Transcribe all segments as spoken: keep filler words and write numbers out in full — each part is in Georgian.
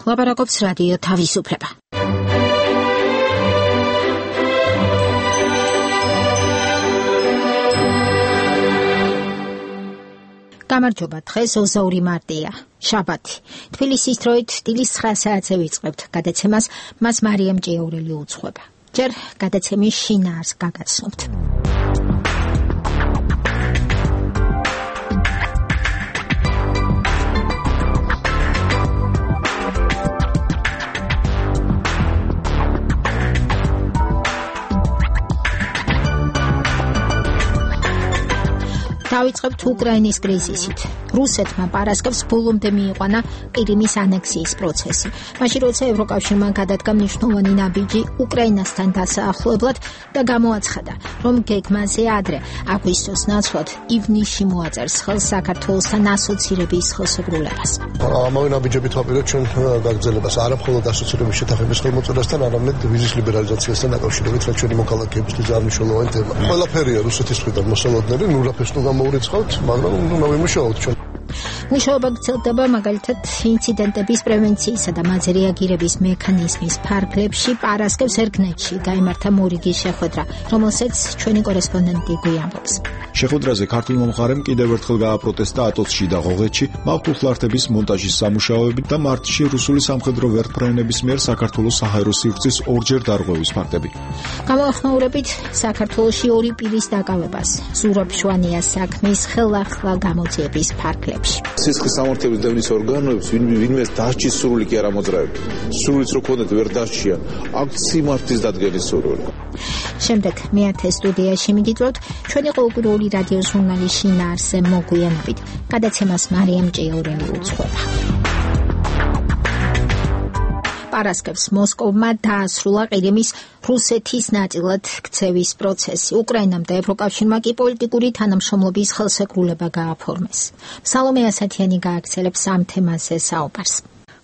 ლაპარაკობს რადიო თავისუფლება. გამარჯობა, დღეს ოცდაორი მარტია, შაბათი. თბილისის დროით დილის ცხრა საათზე ვიწყებთ გადაცემას, მას მარიამ ჭიაურელი უძღვება. ჯერ გადაცემის შინაარს გაგაცნობთ. დავიწყებთ უკრაინის კრიზისით. რუსეთმა პარასკევს ბოლომდე მიიყვანა ყირიმის ანექსიის პროცესი. მაშინ როცა ევროკავშირმა გადადგა მნიშვნელოვანი ნაბიჯი უკრაინასთან დასაახლებლად და გამოაცხადა, რომ გეგმაზე ადრე აგვისტოს ნაცვლად ივნისში მოაწერს ხელს საქართველოსთან ასოცირების ხელშეკრულებას. ამავე ნაბიჯებით ვაპირებთ ჩვენ გაგრძელებას არა მხოლოდ ასოცირების შეთანხმების ხელმოწერასთან, არამედ ვიზის ლიბერალიზაციასთან დაკავშირებით, რაც ჩვენი მოქალაქეებისთვის ძალიან მნიშვნელოვანი თემა. ყველაფერია რუსეთის მხრიდან მოსალოდნელი, ნუ რაფერს ნუ გამოურიცხავთ, მაგრამ უნდა ვიმუშაოთ ჩვენ. მუშაობა გრძელდება მაგალითად ინციდენტების პრევენციისა და მათზე რეაგირების მექანიზმის ფარგლებში. პარასკევს ერგნეთში გაიმართა მორიგის შეხვედრა, რომელსაც ჩვენი კორესპონდენტი გვიამბობს. შეხვედრაზე ქართულმა მხარემ კიდევ ერთხელ გააპროტესტა ატოცში და ღოღეთში მავთულხლართების მონტაჟის სამუშაოებით და მარტში რუსული სამხედრო ვერტმფრენების მიერ საქართველოს საჰაერო სივრცის ორჯერ დარღვევის ფაქტები. გამოახმაურებით საქართველოში ორი პირის დაკავებას, ზურაბ შვანიას საქმის ხელახლა გამოძიების ფარგლებში. სისხლის სამართლების დევნის ორგანოებს ვინმეს დასჯის სურვილი კი არ ამოძრავებთ. სურვილიც რო ქონდეთ ვერ დასჯიან. აქ სიმართლის დადგენის სურვილი. შემდეგ მეათე სტუდიაში მიგიწვევთ ჩვენი ყოველკვირეული რადიო ჟურნალის შინაარსზე მოგვიანებით. გადაცემას მარიამ ჭიაურელი უძღვება. პარასკევს მოსკოვმა დაასრულა ყირიმის რუსეთის ნაწილად ქცევის პროცესი. უკრაინამ და ევროკავშირმა კი პოლიტიკური თანამშრომლობის ხელშეკრულება გააფორმეს. სალომე ასათიანი გააგრძელებს ამ თემაზე საუბარს.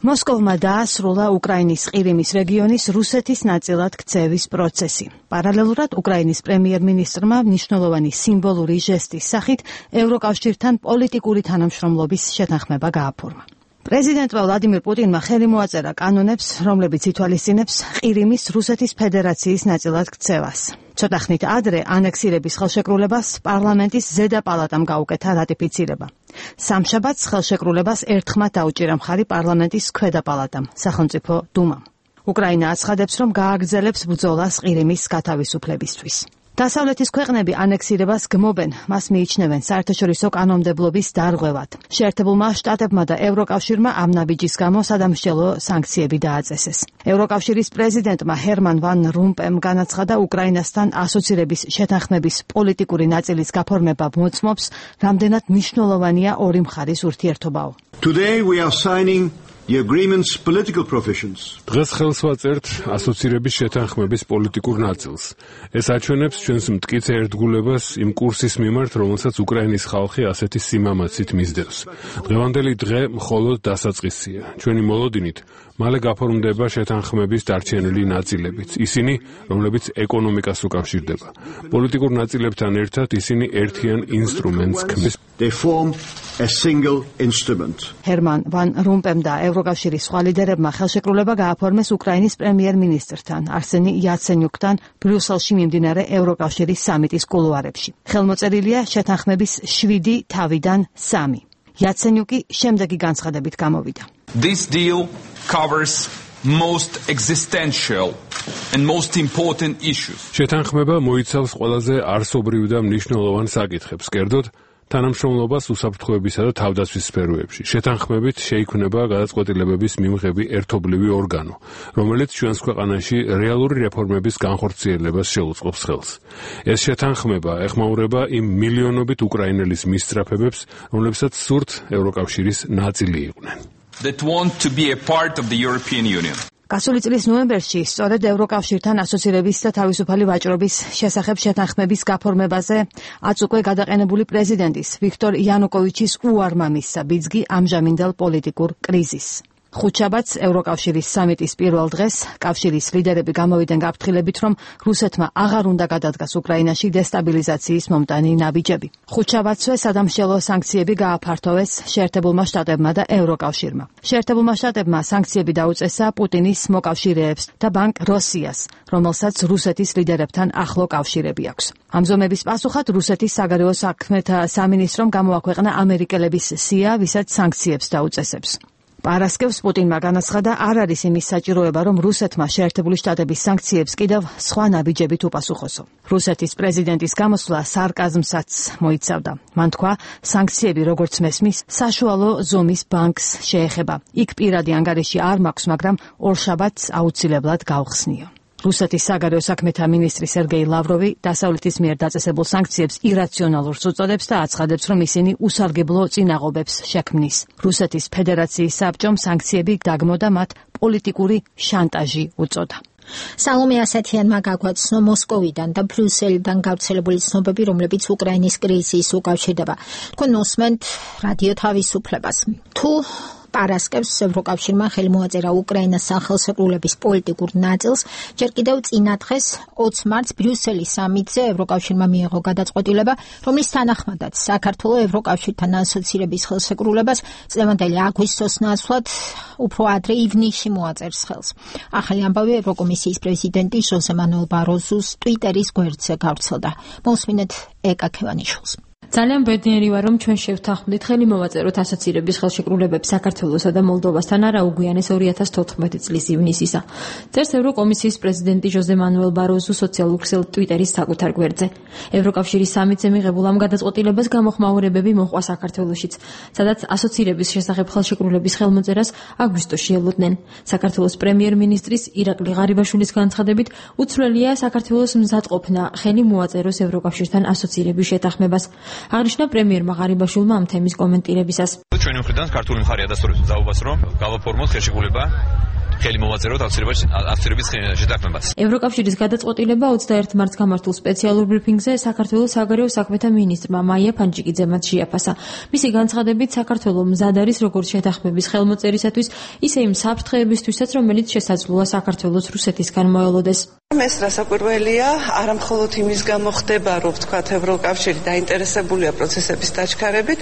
მოსკოვმა დაასრულა უკრაინის ყირიმის რეგიონის რუსეთის ნაწილად ქცევის პროცესი. პარალელურად უკრაინის პრემიერ-მინისტრმა მნიშვნელოვანი სიმბოლური ჟესტის სახით ევროკავშირთან პოლიტიკური თანამშრომლობის შეთანხმება გააფორმა. პრეზიდენტმა ვლადიმირ პუტინმა ხელი მოაწერა კანონებს, რომლებიც ითვალისწინებს ყირიმის რუსეთის ფედერაციის ნაწილად ქცევას. ცოტა ხნით ადრე ანექსირების ხელშეკრულებას პარლამენტის ზედა პალატამ გაუკეთა რატიფიცირება. სამშაბათს ხელშეკრულებას ერთხმად დაუჭირა მხარი პარლამენტის ქვედა პალატამ, სახელმწიფო დუმამ. უკრაინა აცხადებს, რომ გააგრძელებს ბრძოლას ყირიმის გათავისუფლებისთვის. დასავლეთის ქვეყნები ანექსირებას გმობენ, მას მიიჩნევენ საერთაშორისო კანონმდებლობის დარღვევად. შეერთებულმა შტატებმა და ევროკავშირმა ამ ნაბიჯის გამო სადამსჯელო სანქციები დააწესეს. ევროკავშირის პრეზიდენტმა ჰერმან ვან რომპემ განაცხადა, უკრაინასთან ასოცირების შეთანხმების პოლიტიკური ნაწილის გაფორმება მოწმობს, რამდენად მნიშვნელოვანია ორი მხარის ურთიერთობაო. Today we are signing the agreement's political provisions. დღეს ხელს ვაწერთ ასოცირების შეთანხმების პოლიტიკურ ნაწილს. ეს აჩვენებს ჩვენს მტკიცე ერთგულებას იმ კურსის მიმართ, რომელსაც უკრაინის ხალხი ასეთი სიმამაცით მისდევს. დღევანდელი დღე მხოლოდ დასაწყისია. ჩვენი მოლოდინით მალე გაფორმდება შეთანხმების დარჩენილი ნაწილებიც, ისინი, რომლებიც ეკონომიკას უკავშირდება. პოლიტიკურ ნაწილებთან ერთად ისინი ერთიან ინსტრუმენტს ქმნის. They form a single instrument. ჰერმან ვან რომპემ და ევროკავშირის სხვა ლიდერებმა ხელშეკრულება გააფორმეს უკრაინის პრემიერ-მინისტრთან, არსენი იაცენიუკთან ბრიუსელში მიმდინარე ევროკავშირის სამიტის კულუარებში. ხელმოწერილია შეთანხმების შვიდი თავიდან სამი. იაცენიუკი შემდეგი განცხადებით გამოვიდა. This deal covers most existential and most important issues. შეთანხმება მოიცავს ყველაზე არსობრივ და მნიშვნელოვან საკითხებს, კერძოდ თანამშრომლობას უსაფრთხოებისა და თავდაცვის სფეროებში. შეთანხმებით შეიქმნება გადაწყვეტილებების მიმღები ერთობლივი ორგანო, რომელიც ჩვენს ქვეყანაში რეალური რეფორმების განხორციელებას შეუწყობს ხელს. ეს შეთანხმება ეხმაურება იმ მილიონობით უკრაინელის მისწრაფებებს, რომლებსაც სურთ ევროკავშირის ნაწილი იყვნენ. That want to be a part of the European Union. გასული წლის ნოემბერში სწორედ ევროკავშირთან ასოცირების და თავისუფალი ვაჭრობის შესახებ შეთანხმების გაფორმებაზე აც უკვე გადაყენებული პრეზიდენტის ვიქტორ იანუკოვიჩის უარმა მისცა ბიძგი ამჟამინდელ პოლიტიკურ კრიზისს. ხუთშაბათს ევროკავშირის სამიტის პირველ დღეს კავშირის ლიდერები გამოვიდნენ გაფრთხილებით, რომ რუსეთმა აღარ უნდა გადადგას უკრაინაში დესტაბილიზაციის მომტანი ნაბიჯები. ხუთშაბათსვე სადამსჯელო სანქციები გააფართოვეს შეერთებულმა შტატებმა და ევროკავშირმა. შეერთებულმა შტატებმა სანქციები დაუწესა პუტინის მოკავშირეებს და ბანკ როსიას, რომელსაც რუსეთის ლიდერებთან ახლო კავშირები აქვს. ამ ზომების პასუხად რუსეთის საგარეო საქმეთა სამინისტრომ გამოაქვეყნა ამერიკელების სია, ვისაც სანქციებს დაუწესებს. პარასკევს პუტინმა განაცხადა, არ არის იმის საჭიროება, რომ რუსეთმა შეერთებული შტატების სანქციებს კიდევ სხვა ნაბიჯებით უპასუხოსო. რუსეთის პრეზიდენტის გამოსვლა სარკაზმსაც მოიცავდა. მან თქვა, სანქციები, როგორც მესმის, საშუალო ზომის ბანკს შეეხება. იქ პირადი ანგარიში არ მაქვს, მაგრამ ორშაბათს აუცილებლად გავხსნიო. რუსეთის საგარეო საქმეთა მინისტრი სერგეი ლავროვი დასავლეთის მიერ დაწესებულ სანქციებს ირაციონალურს უწოდებს და აცხადებს, რომ ისინი უსარგებლო წინაღობებს შექმნის. რუსეთის ფედერაციის საბჭომ სანქციები დაგმო და მათ პოლიტიკური შანტაჟი უწოდა. სალომე ასათიანმა გაგვაცნო მოსკოვიდან და ბრიუსელიდან გავრცელებული ცნობები, რომლებიც უკრაინის კრიზისს უკავშირდება. თქვენ უსმენთ რადიო თავისუფლებას. თუ პარასკევს ევროკავშირმა ხელი მოაწერა უკრაინას სახელმწიფოების პოლიტიკურ ნაწილს, ჯერ კიდევ წინა დღეს ოცი მარტს ბრიუსელის სამიტზე ევროკავშირმა მიიღო გადაწყვეტილება, რომლის თანახმადაც საქართველოს ევროკავშირთან ასოცირების ხელშეკრულებას წლევანდელი აგვისტოს ნაცვლად უფრო ადრე ივნისში მოაწერს ხელს. ახალი ამბავი ევროკომისიის პრეზიდენტი ჟოზე მანუელ ბაროზუს ტვიტერის გვერდზე გავრცელდა. მოусმინეთ ეკა ქევანიშვილს. ძალიან ბედნიერი ვარ, რომ ჩვენ შევთანხმდით ხელი მოვაწეროთ ასოცირების ხელშეკრულებებს საქართველოსა და მოლდოვასთან არა უგვიანეს ორი ათას თოთხმეტი წლის ივნისისა. წერს ევროკომისიის პრეზიდენტი ჟოზე მანუელ ბაროზუ სოციალურ ქსელ ტვიტერის საკუთარ გვერდზე. ევროკავშირის სამიტზე მიღებულ ამ გადაწყვეტილებას გამოხმაურებები მოჰყვა საქართველოშიც, სადაც ასოცირების შესახებ ხელშეკრულების ხელმოწერას აგვისტოში ელოდნენ. საქართველოს პრემიერ-მინისტრის ირაკლი ღარიბაშვილის განცხადებით, უცვლელია საქართველოს მზადყოფნა ხელი მოაწეროს ევროკავშირთან ასოცირების შეთანხმებას. აღნიშნა პრემიერმა ღარიბაშვილმა ამ თემის კომენტირებისას. ჩვენი მხრიდან ქართული მხარე ადასტურებს ძალობას, რომ გავაფორმოთ ხელშეკრულება ხელი მოვაწეროთ ასოცირების შეთანხმებას. ევროკავშირის გადაწყვეტილება ოცდაერთი მარტს გამართულ სპეციალურ ბრიფინგზე საქართველოს საგარეო საქმეთა მინისტრმა მაია ფანჯიკიძემ შეაფასა. მისი განცხადებით, საქართველოს მზად არის როგორც შეთანხმების ხელმოწერისათვის, ისე იმ საფრთხეებისთვისაც, რომელიც შესაძლოა საქართველოს რუსეთისგან მოელოდეს. ეს რასაკვირველია, არა მხოლოდ იმის გამო ხდება, რომ ვთქვათ, ევროკავშირი დაინტერესებულია პროცესების დაჩქარებით,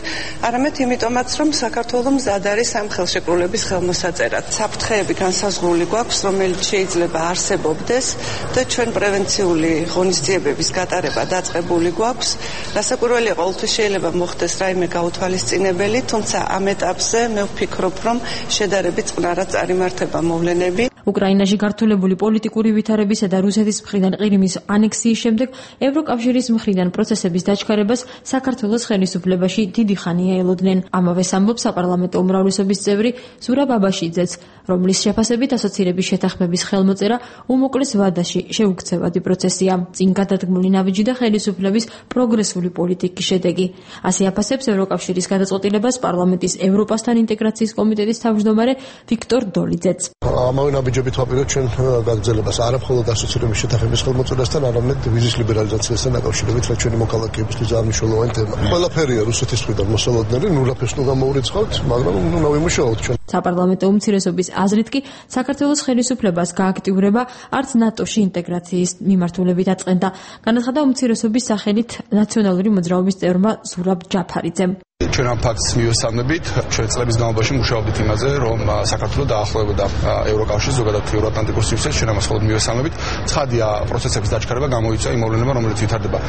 არამედ იმიტომაც, რომ საქართველოს მზად არის ამ ხელშეკრულების ხელმოსაწერად. საფრთხეები განსაზღვრული გვაქვს, რომელიც შეიძლება არსებობდეს და ჩვენ პრევენციული ღონისძიებების გატარება დაწყებული გვაქვს. რასაკვირველია, ყოველთვის შეიძლება მოხდეს რაიმე გაუთვალისწინებელი, თუმცა ამ ეტაპზე მე ვფიქრობ, რომ შედარებით წყნარად წარიმართება მოვლენები. უკრაინაში გართულებული პოლიტიკური ვითარებისა და რუსეთის მხრიდან ყირიმის ანექსიის შემდეგ ევროკავშირის მხრიდან პროცესების დაჩქარებას საქართველოს ხელისუფლებაში დიდი ხანია ელოდნენ. ამავეს ამბობს საპარლამენტო უმრავლესობის წევრი ზურაბ ბაბაშიძეც, რომლის შეფასებით ასოცირების შეთანხმების ხელმოწერა უმოკლეს ვადაში შეუქცევადი პროცესია. წინ გადადგმული ნაბიჯი და ხელისუფლების პროგრესული პოლიტიკის შედეგი. ასე აფასებს ევროკავშირის გადაწყვეტილებას პარლამენტის ევროპასთან ინტეგრაციის კომიტეტის თავმჯდომარე ვიქტორ დოლიძეც. ამავე ნაბიჯებით ვაპირებთ ჩვენ გაგრძელებას არა მხოლოდ ასოცირების შეთანხმების ხელმოწერასთან, არამედ ვიზის ლიბერალიზაციასთან დაკავშირებით, რაც ჩვენი მოქალაქეებისთვის ძალიან მნიშვნელოვანი თემა. ყველაფერია რუსეთის მხრიდან მოსალოდნელი, ნუ რაფერს ნუ გამოურიცხავთ, მაგრამ ნუ ნავიმუშაოთ ჩვენ. საპარლამენტო უმცირესობის აზრით კი საქართველოს ხელისუფლებას გააქტიურება არც ნატოში ინტეგრაციის მიმართულებით აწყენდა. განაცხადა უმცირესობის სახელით ნაციონალური მოძრაობის წევრმა ზურაბ ჯაფარიძემ. ჩვენ ამ ფაქტს მივესალმებით, ჩვენ წლების განმავლობაში მუშაობდით იმაზე, რომ საქართველოს დაახლოებოდა ევროკავშირს, ზოგადად ევროატლანტიკურ სივრცეს, ჩვენ ამას მხოლოდ მივესალმებით. ცხადია, პროცესების დაჩქარება გამოიწვია იმ მოვლენებმა, რომელიც ვითარდება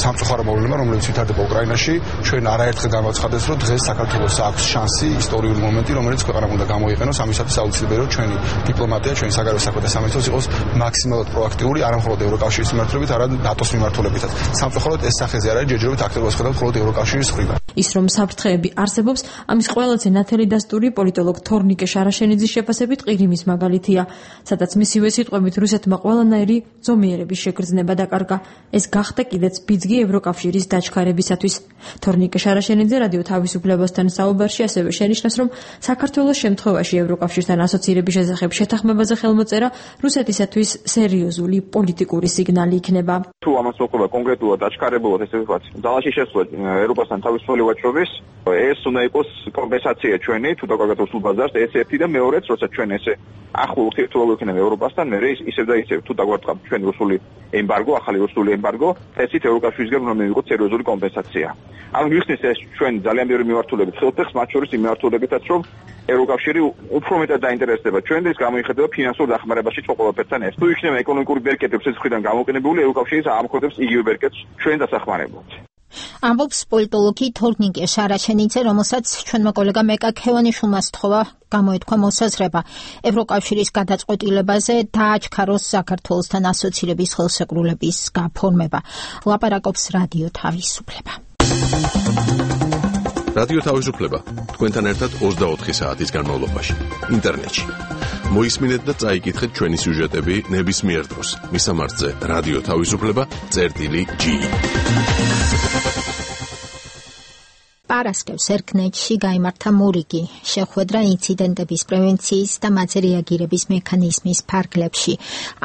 სამწუხარო მოვლენებმა, რომელიც ვითარდება უკრაინაში. ჩვენ არაერთხელ გამოაცხადეს, რომ დღეს საქართველოს აქვს შანსი, ისტორიული მომენტი, რომელიც ქვეყანამ უნდა გამოიყენოს, ამისათვის აუცილებელია, რომ ჩვენი დიპლომატია, ჩვენი საგარეო საქმეთა სამინისტროს იყოს მაქსიმალურად პროაქტიული, არა მხოლოდ ევროკავშირის მიმართულებით, არამედ ნატოს მიმართულებითაც. სამწუხაროდ ეს სახეზე არ არის, ჯერჯერობით აქტიურობას ხედავთ მხოლოდ ევროკავშირის მხრიდან. ის რომ საფრთხეები არსებობს, ამის ყველაზე ნათელი დასტური პოლიტოლოგ თორნიკე შარაშენიძის შეფასებით ყირიმის მაგალითია, სადაც მისივე სიტყვებით რუსეთმა ყველანაირი ზომიერების შეგრძნება დაკარგა. ეს გახდა კიდეც ბიძგი ევროკავშირის დაჩქარებისათვის. თორნიკე შარაშენიძე რადიო თავისუფლებასთან საუბარში ასევე შენიშნეს, რომ საქართველოს შემთხვევაში ევროკავშირთან ასოცირების შესახებ შეთანხმებაზე ხელმოწერა რუსეთისათვის სერიოზული პოლიტიკური სიგნალი იქნება. თუ ამას მოხდება კონკრეტულად დაჩქარებულად, ესე ვთქვათ, ძალაში შესვლა ევროპასთან თავისუფალი მრავალი ვაჭრობის ეს უნდა იყოს კომპენსაცია ჩვენი თუ დაგაგატოს ბაზარს ეს ერთი და მეორეც როცა ჩვენ ესე ახლო ურთიერთობა გვექნება ევროპასთან მე ისევ და ისევ თუ დაგვარტყავ ჩვენ რუსული ემბარგო ახალი რუსული ემბარგო ესეთ ევროკავშირისგან უნდა მივიღოთ სერიოზული კომპენსაცია ანუ მიხსნის ეს ჩვენ ძალიან ბევრი მიმართულებით ხელფეხს მათ შორის იმ მიმართულებითაც რომ ევროკავშირი უფრო მეტად დაინტერესდება ჩვენთვის გამოიხედება ფინანსურ დახმარებაში ჩვენ ყველაფერთან ეს თუ იქნება ეკონომიკური ბერკეტებს ეს მხრიდან გამოყენებული ევროკავშირი აამხოდებს იგივე ბერკეტს ჩვენ დასახმარებლად ამბობს პოლიტოლოგი თორნიკე შარაშენიძე, რომელსაც ჩვენმა კოლეგამ ეკა ქევანიშვილმა სთხოვა გამოეთქვა მოსაზრება ევროკავშირის გადაწყვეტილებაზე დააჩქაროს საქართველოსთან ასოცირების ხელშეკრულების გაფორმება. ლაპარაკობს რადიო თავისუფლება. რადიო თავისუფლება თქვენთან ერთად ოცდაოთხი საათის განმავლობაში ინტერნეტში. მოისმინეთ და წაიკითხეთ ჩვენი სიუჟეტები ნებისმიერ დროს. მისამართზე რადიო თავისუფლება წერტილი ჯი. პარასკევს ერკნეთში გაიმართა მორიგი შეხვედრა ინციდენტების პრევენციის და მათზე რეაგირების მექანიზმის ფარგლებში.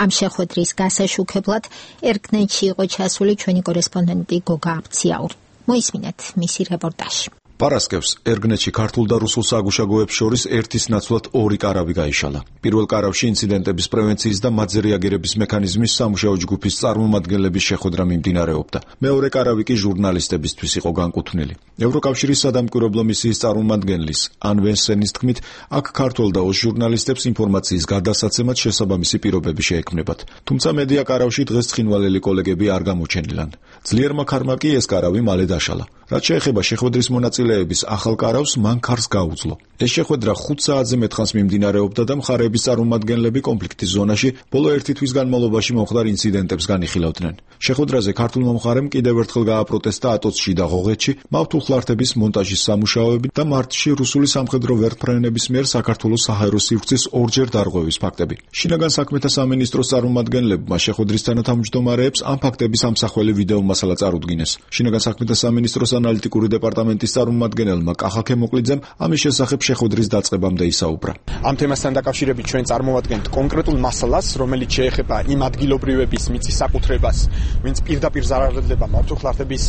ამ შეხვედრის გასაშუქებლად ერკნეთში იყო ჩასული ჩვენი კორესპონდენტი გოგა აბციაური. მოისმინეთ მისი რეპორტაჟი. პარასკევს ერგნეთში ქართულ და რუსულ საგუშაგოებს შორის ერთის ნაცვლად ორი კარავი გაიშალა. პირველ კარავში ინციდენტების პრევენციის და მათზე რეაგირების მექანიზმის სამუშაო ჯგუფის წარმომადგენლების შეხვედრა მიმდინარეობდა. მეორე კარავი კი ჟურნალისტებისთვის იყო განკუთვნილი. ევროკავშირის სადამკვირვებლო მისიის წარმომადგენლის ან ვენსენის თქმით, აქ ქართულ და ოს ჟურნალისტებს ინფორმაციის გადასაცემად შესაბამისი პირობები შეექმნებათ. თუმცა მედია კარავში დღეს ცხინვალელი კოლეგები არ გამოჩენილან. ძლიერმა ქარმა კი ეს კარავი მალე დაშალა. რაც შეეხება შეხვედრის მონაწილეების ახალ კარავს, მან ქარს გაუძლო. ეს შეხვედრა ხუთ საათზე მეტხანს მიმდინარეობდა და მხარეების წარმომადგენლები კონფლიქტის ზონაში ბოლო ერთი თვის განმავლობაში მომხდარ ინციდენტებს განიხილავდნენ. შეხვედრაზე ქართულმა მხარემ კიდევ ერთხელ გააპროტესტა ატოცში და ღოღეთში მავთულხლართების მონტაჟის სამუშაოები და მარტში რუსული სამხედრო ვერტმფრენების მიერ საქართველოს საჰაერო სივრცის ორჯერ დარღვევის ფაქტები. შინაგან საქმეთა სამინისტროს წარმომადგენლებმა შეხვედრის თანათავმჯდომარეებს ამ ფაქტების ამსახველი ვიდეო მასალა წარუდგინეს. შინაგან საქმეთა სამინისტროს ანალიტიკური დეპარტამენტის წარმომადგენელმა კახა ქემოყლიძემ ამის შესახებ შეხვედრის დაწყებამდე ისაუბრა. ამ თემასთან დაკავშირებით ჩვენ წარმოვადგენთ კონკრეტულ მასალას, რომელიც შეეხება იმ ადგილობრივების მიწის საკუთრებას, ვინც პირდაპირ ზარალდება მავთულხლართების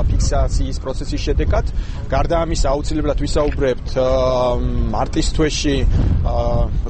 ფიქსაციის პროცესის შედეგად. გარდა ამისა, აუცილებლად ვისაუბრებთ მარტის თვეში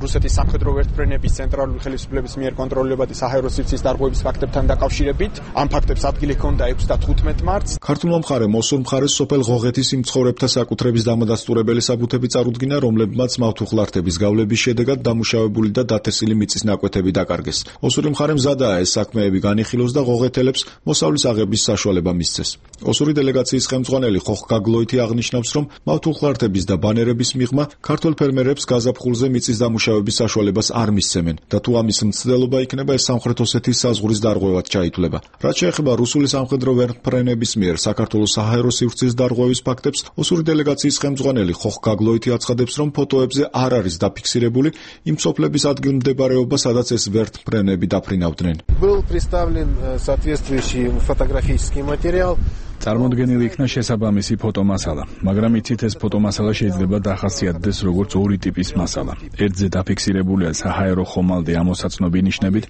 რუსეთის სამხედრო ვერტმფრენების ცენტრალური ხელისუფლების მიერ კონტროლირებადი საჰაერო სივრცის დარღვევის ფაქტებთან დაკავშირებით. ამ ფაქტებს ადგილი ჰქონდა ექვსი და თხუთმეტი მარტს. ქართულმა მხარემ მოსურ მხარეს სოფელ ღოღეთის იმ მცხოვრებთა საკუთრების დამადასტურებელი საბუთები წარუდგინა, რომლებმაც მავთულხლართების გავლების შედეგად დამუშავებული და დათესილი მიწის ნაკვეთები დაკარგეს. ოსური მხარემ მზადაა ეს საქმეები განიხილოს და ღოღეთელებს მოსავლის აღების საშუალება მისცეს. ოსური დელეგაციის ხელმძღვანელი ხოხ გაგლოითი აღნიშნავს, რომ მავთულხლართების და ბანერების მიღმა ქართველ ფერმერებს გაზაფხულზე მიწის დამუშავების საშუალებას არ მისცემენ და თუ ამის მცდელობა იქნება, ეს სამხრეთ ოსეთის საზღვრის დარღვევად ჩაითვლება. რაც შეეხება რუსული სამხედრო ვერტმფრენების მიერ საქართველოს საჰაერო სივრცის დარღვევის ფაქტებს, ოსური დელეგაციის ხელმძღვანელი ხოხ გაგლოითი აცხადებს, რომ ფოტოებზე არ არის დაფიქსირებული იმ სოფლების ადგილმდებარეობა, სადაც ეს ვერტმფრენები დაფრინავდნენ. Был представлен соответствующий фотографический материал. წარმოდგენილი იქნა შესაბამისი ფოტომასალა, მაგრამ იცით ეს ფოტომასალა შეიძლება დახასიათდეს როგორც ორი ტიპის მასალა. ერთზე დაფიქსირებულია საჰაერო ხომალდი ამოსაცნობი ნიშნებით,